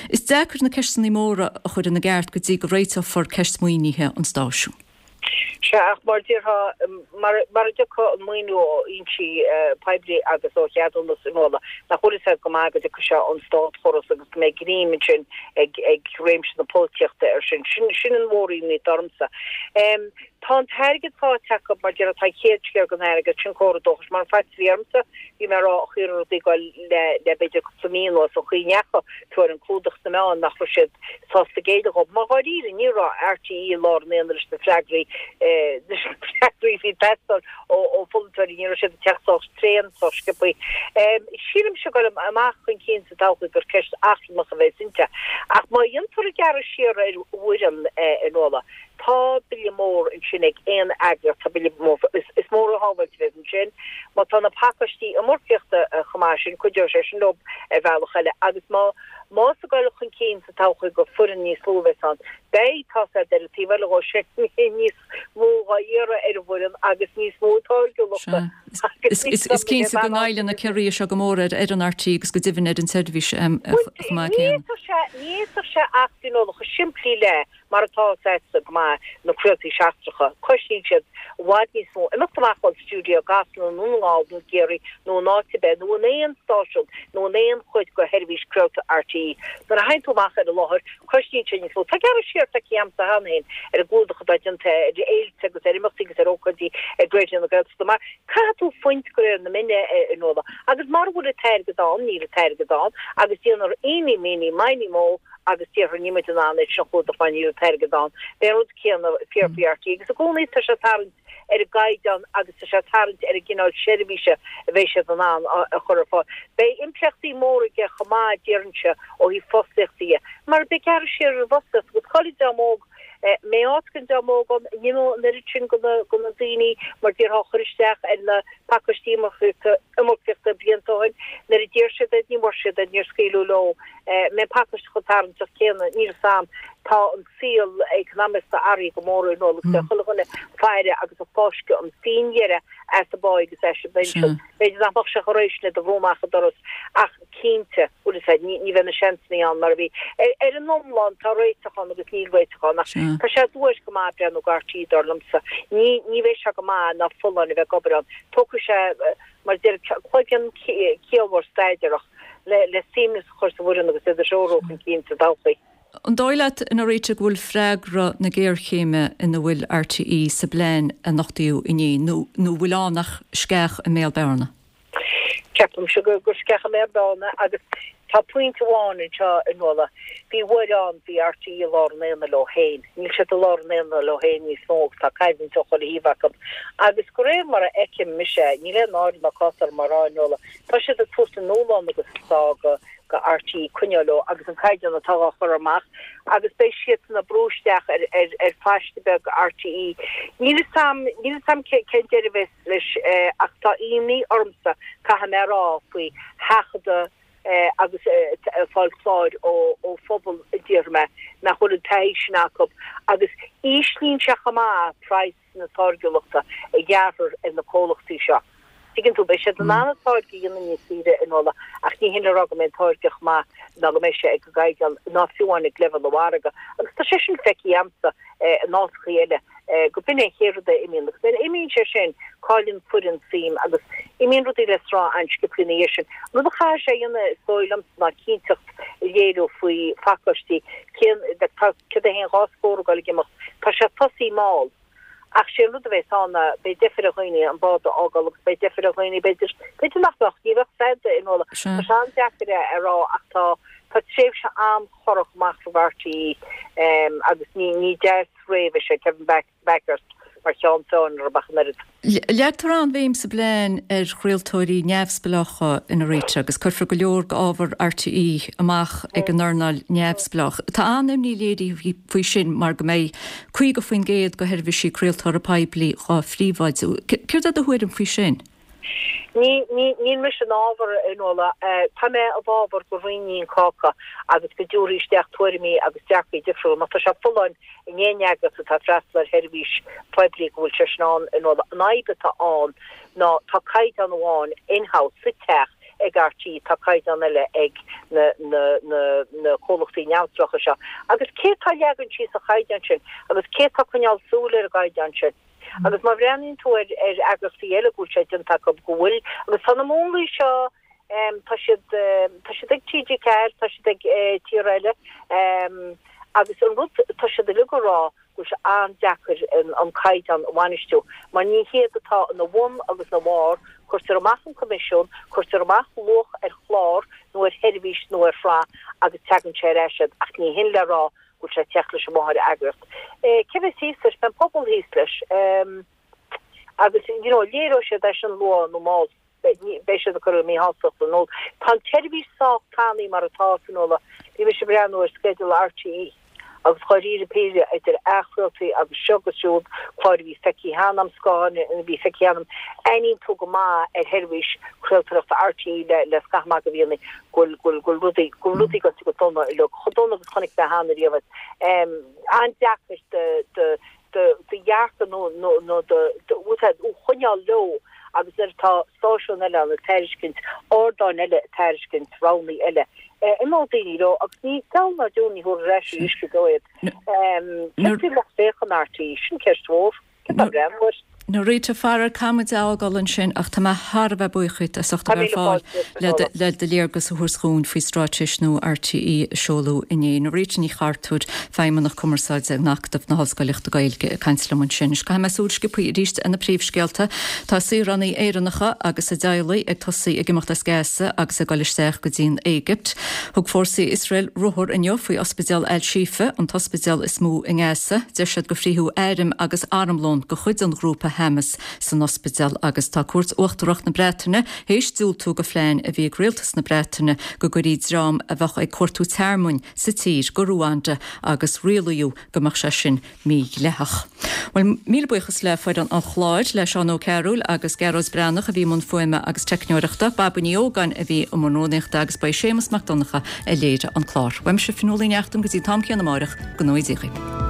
Is deacair na ceisteanna móra a chur ina gceart go dtí go réiteofar ceist maoinithe an stáisiúin. Sea, ach mar a déarfá, mara dtiocfaidh an maoiniú ó fhoinsí poiblí agus ó cheadúnas, a Nuala, nach bhfuil fhios agat go maith go dtiocfaidh sé ón státchóras agus go mbeidh greim ansin ag réimse na polaitíochta air sin. Sin an mhór-imní atá ormsa. Tá an t-airgead faighte acu, mar a déarfá, tá an chéad sciar den airgead, sin comhartha dóchais. Mar an faitíos a bhí ormsa, bhí mé ag rá an chaoi a raibh rudaí ag dul le le b'fhéidir cúpla mí anuas, an chaoi a ndeachaigh fiú ar an clúdach sna meáin, nach raibh siad sásta géilleadh dhóibh. Mar dháiríre, ní raibh RTÉ i lár an aonaigh leis na freagraí, leis na freagraí a bhí ag teastáil ó pholaiteoirí, ní raibh siad ag teacht sách tréan, sách sciobtha. Sílimse ag dul amach chun cinn sa todhchaí gur ceist achrannach a bheas inti. Ach má dhéantar an gearradh siar ar fhoireann, a Nuala, Tá bille mór ansin ag aon eagraíocht, tá bille mór, is. Níos mó shábháilte a bheas ansin. Má tá na pacáistí iomarcaíochta chomh maith sin, cuideoidh sé sin leo ar bhealach eile. Agus má, más ag dul chun cinn sa todhchaí go foireann níos lú a bheas ann, beidh, tá's a'd, ar an taobh eile dhó sin, níos mó dhá iarraidh ar an bhfoireann agus níos mó táirgiúlachta. Is cinnte go ngoilleann na ciorruithe seo go mór ar fhoireann RTÉ agus go deimhin ar an tseirbhís chomh maith céanna. Ní fhéadfadh sé ach cineál chomh simplí le mar atá a fhios a'dsa go maith na craoltaí seachtracha, cosnaíonn siad i bhfad níos mó imeacht amach ón stiúideo i gCasla nó i nDún na nGall nó i gCiarraí nó in áit ar bith nó in aon stáisiún nó in aon chuid de sheirbhís craolta RTÉ. Nuair a théann tú amach ar an láthair, cosnaíonn sé níos mó. Tá gearradh siar feicthe a'msa cheana féin ar an gclúdach atá déanta ar fhéilte agus ar imeachtaí agus ar ócáidí ag Raidió na Gaeltachta mar caithfidh tú fuint de réir na mine a Nuala agus mara bhfuil an t-airgead ann níl an t-airgead ann agus déanfar eeny meeny miny mo agus déarfar níl muid in ann é sin a chlúdach mar níl an t-airgead ann. Beidh an rud céanna fíor faoi RTÉ agus i gcónaí tá sé ag tarraingt ar an gcaighdeán agus tá sé ag tarraingt ar an gcineál seirbhíse a bheidh siad in ann a chur ar fáil. Beidh impleachtaí móra aige chomh maith, déarfainnse, ó thaobh fostaíochta dhe, mar beidh gearradh siar ar an bhfostaíocht agus caillfidh dream óg. Mbeidh áit don dream óg ann, an imeoidh an oiread sin de na daoine mar déarfá a chuir isteach ar na pacáistí iomarcaíochta blianta ó shin, nuair a d'iarr siad iad, ní bhfuair siad iad, níor scaoileadh leo. Mbeidh an pacáiste chomh tarraingteach céanna, níl a fhios a'm. Tá an saol eacnamaíochta athraithe go mór a Nuala agus beidh chuile dhuine ag faire agus ag fáisceadh an phingin dheiridh as a bpá agus as a bpinsean. B'fhéidir nach mbeadh sé chomh réidh sin iad a bhrú amach an doras ach cinnte, bhfuil fhios a'd, ní bheidh na seansannaí ann mar a bhí. Ar an iomlán tá réiteach ann agus níl réiteach ann ach tá sé duairc go maith breathnú go RTÉ dar liomsa. Ní ní bheidh sé go maith ná folláin a bheith ag obair ann. Tógfaidh sé mar a deir cloigeann ciallmhar staidéarach le le suaimhneas a chur sa bhfoireann agus iad a threorú chun cinn sa todhchaí. An dóigh leat, a Norita, go bhfuil freagra na géarchéime ina bhfuil RTÉ sa bplean a nochtaíodh inné, nó nó bhfuil ann ach sceach i mbéal bearna? Ceapaimse gur sceach i mbéal bearna agus tá pointe amháin anseo, a Nuala. Bhí uair ann, bhí RTÉ i lár an aonaigh leo féin. Níl siad i lár an aonaigh leo féin níos mó agus tá coimhlint ó chuile thaobh acu. Agus de réir mar a fheicim mise, níl aon náire ná cás orm á rá, a Nuala, tá siad ag tabhairt a ndúshlán agus a sá go go RTÉ coinneáil leo agus an caighdeán atá á chur amach agus beidh siadsan ag brú isteach ar ar ar phaiste beag RTÉ. Níl fhios a'm, níl fhios a'm cén deireadh a bheas leis ach tá imní ormsa, caithfidh mé a rá, faoi sheachadadh agus fáil cláir ó ó phobal a déarfaidh mé nach bhfuil an taithí sin acu agus íslíonn sé chomh maith praghas na táirgiúlachta a ghearrthar ar na comhlachtaí seo. Tuigeann tú, beidh siad in ann an táirge a dhéanamh níos saoire a Nuala ach ní hin le rá go mbeidh an táirge chomh maith ná go mbeidh sé ag an gcaighdeán ná fiú amháin ag leibhéal an mhargaidh. Agus tá sé sin feicthe a'msa in áiteachaí eile go b'in é an chéad rud a imíonn agus nuair a imíonn sé sin cailleann foireann suim agus imíonn rudaí le sruth an-sciobtha ina dhiaidh sin. An rud a chaithfidh sé a dhéanamh is dóigh liomsa ná cinnteacht a léiriú faoi phacáistí cén tá 101 dhá scór ag dul ag imeacht tá sé tosaí mall. Ach sé an rud a bheas ann ná beidh deifir ar dhaoine an bád a fhágáil agus beidh deifir ar dhaoine b'fhéidir, b'fhéidir nach mbeadh, ní bheadh fad a Nuala. Tá sé an-deacair a rá ach tá, tá tréimhse an-chorrach amach roimh RTÉ agus ní, ní deas réidh a bheidh sé Kevin Bakhurst mar cheann feadhain orthu ach an oiread. Leagtar an-bhéim sa bplean ar chraoltóirí neamhspleácha a Norita agus cuirfear go leor d'ábhar RTÉ amach ag an earnáil neamhspleách. Tá an-imní léirithe faoi sin mar go mbeidh 50% de sheirbhísí craoltóra poiblí dhá phríobháidiú. Céard é do thuairim faoi sin? Ní, ní, níl mise in fhabhar, a Nuala. Tá mé i bhfabhar go roinnfí an cáca agus go dtabharfaí isteach tuairimí agus dearcaí difriúla. Má tá sé folláin in aon eagras atá ag freastal ar sheirbhís phoiblí go bhfuil sé sin ann, a Nuala. An fhadhb atá ann ná tá caighdeán amháin in-house, sa teach, ag RTÉ, tá caighdeán eile ag na, na, na, na comhlachtaí neamhspleácha seo. Agus cé atá ag leagan síos an chaighdeáin sin agus cé atá ag coinneáil súil ar an gcaighdeán sin? Agus má bhreathnaíonn tú ar ar eagrachtaí eile go bhfuil sé déanta acu go bhfuil, agus tá na múnlaí seo, tá siad, tá siad ag TG4, tá siad ag tíortha eile, agus an rud, tá siad uilig ag rá go bhfuil sé an-deacair an caighdeán a bhainistiú mar ní hiad atá ina bhun agus ina bharr, cuirtear amach an coimisiún, cuirtear amach luach ar chlár nó ar sheirbhís nó ar shraith agus teagann sé ar ais iad ach ní hin le rá go bhfuil sé ag teacht leis an mháthair-eagraíocht. Cé bheas thíos leis? Beidh an pobal thíos leis agus you know léireoidh siad é sin luath nó mall. Beidh siad ag cur a míshástacht in iúl. Tá an tseirbhís sách tanaí mar atá, a Fhionnuala. Bhí mise ag breathnú ar sceideal RTÉ. Agus dháiríre píre, idir athchraoltaí agus seo agus siúd, cláir a bhí feicthe cheana a'm, scátháin a bhí feicthe cheana a'm, aithníonn tú go maith ar sheirbhís craoltóireachta RTÉ le le scaitheamh maith de mhíonna go bhfuil go bhfuil go bhfuil rudaí go bhfuil rudaí goite go dona uilig, chomh dona agus chonaic mé cheana riamh iad. An-deacair do do do do dhearcadh nó nó nó do do do choinneáil leo agus nuair atá stáisiún eile ann ag tairiscint, ardáin eile ag tairiscint roghanna eile, imeoidh daoine leo agus ní deabhal ná deoir ní thabharfar ar ais arís go deo iad. Céard faoi lucht féachana RTÉ? Sin ceist mhór. Céard tá ag breathnú air? Norita, faraor, caithfidh muid a fhágáil ansin ach tá mé thar a bheith buíoch díot as ucht a bheith ar fáil le do léargas a thabhairt dhúinn faoi straitéis nua RTÉ a seoladh inné. Norita Ní Chartúir, Feidhmeannach Cumarsáide in Acadamh na hOllscoilíochta Gaeilge ag caint liom ansin. Anois caithfidh mé súil sciobtha arís ar na príomhscéalta. Tá saoránaigh Éireannacha agus a dteaghlaigh ag tosaí ag imeacht as Gaza agus ag dul isteach go dtí an Éigipt. Thug fórsaí Iosrael ruathar inniu faoi ospidéal Al-Shifa, an t-ospidéal is mó i nGaza. Deir siad gur frítheadh airm agus armlón de chuid an ghrúpa Hamas san ospidéal agus tá Cúirt Uachtarach na Breataine théis diúltú do phlean a bhí ag rialtas na Breataine go gcuirfí dream a bheadh ag cuartú tearmainn sa tír go Ruanda agus rialaíodh go mbeadh sé sin mídhleathach. Bhuel, míle buíochas le foireann an chláir, le Seán Ó Cearúil agus Gearóid Breathnach a bhí i mbun fuaime agus teicneoireachta, Baba Ní Ógáin a bhí i mbun rúnaíochta agus ba é Séamus Mac Donncha a léirigh an clár. Uaimse, Fionnuala Ní Neachtain, go dtí an t-am céanna amáireach, go ngnóthaí Dia dhaoibh.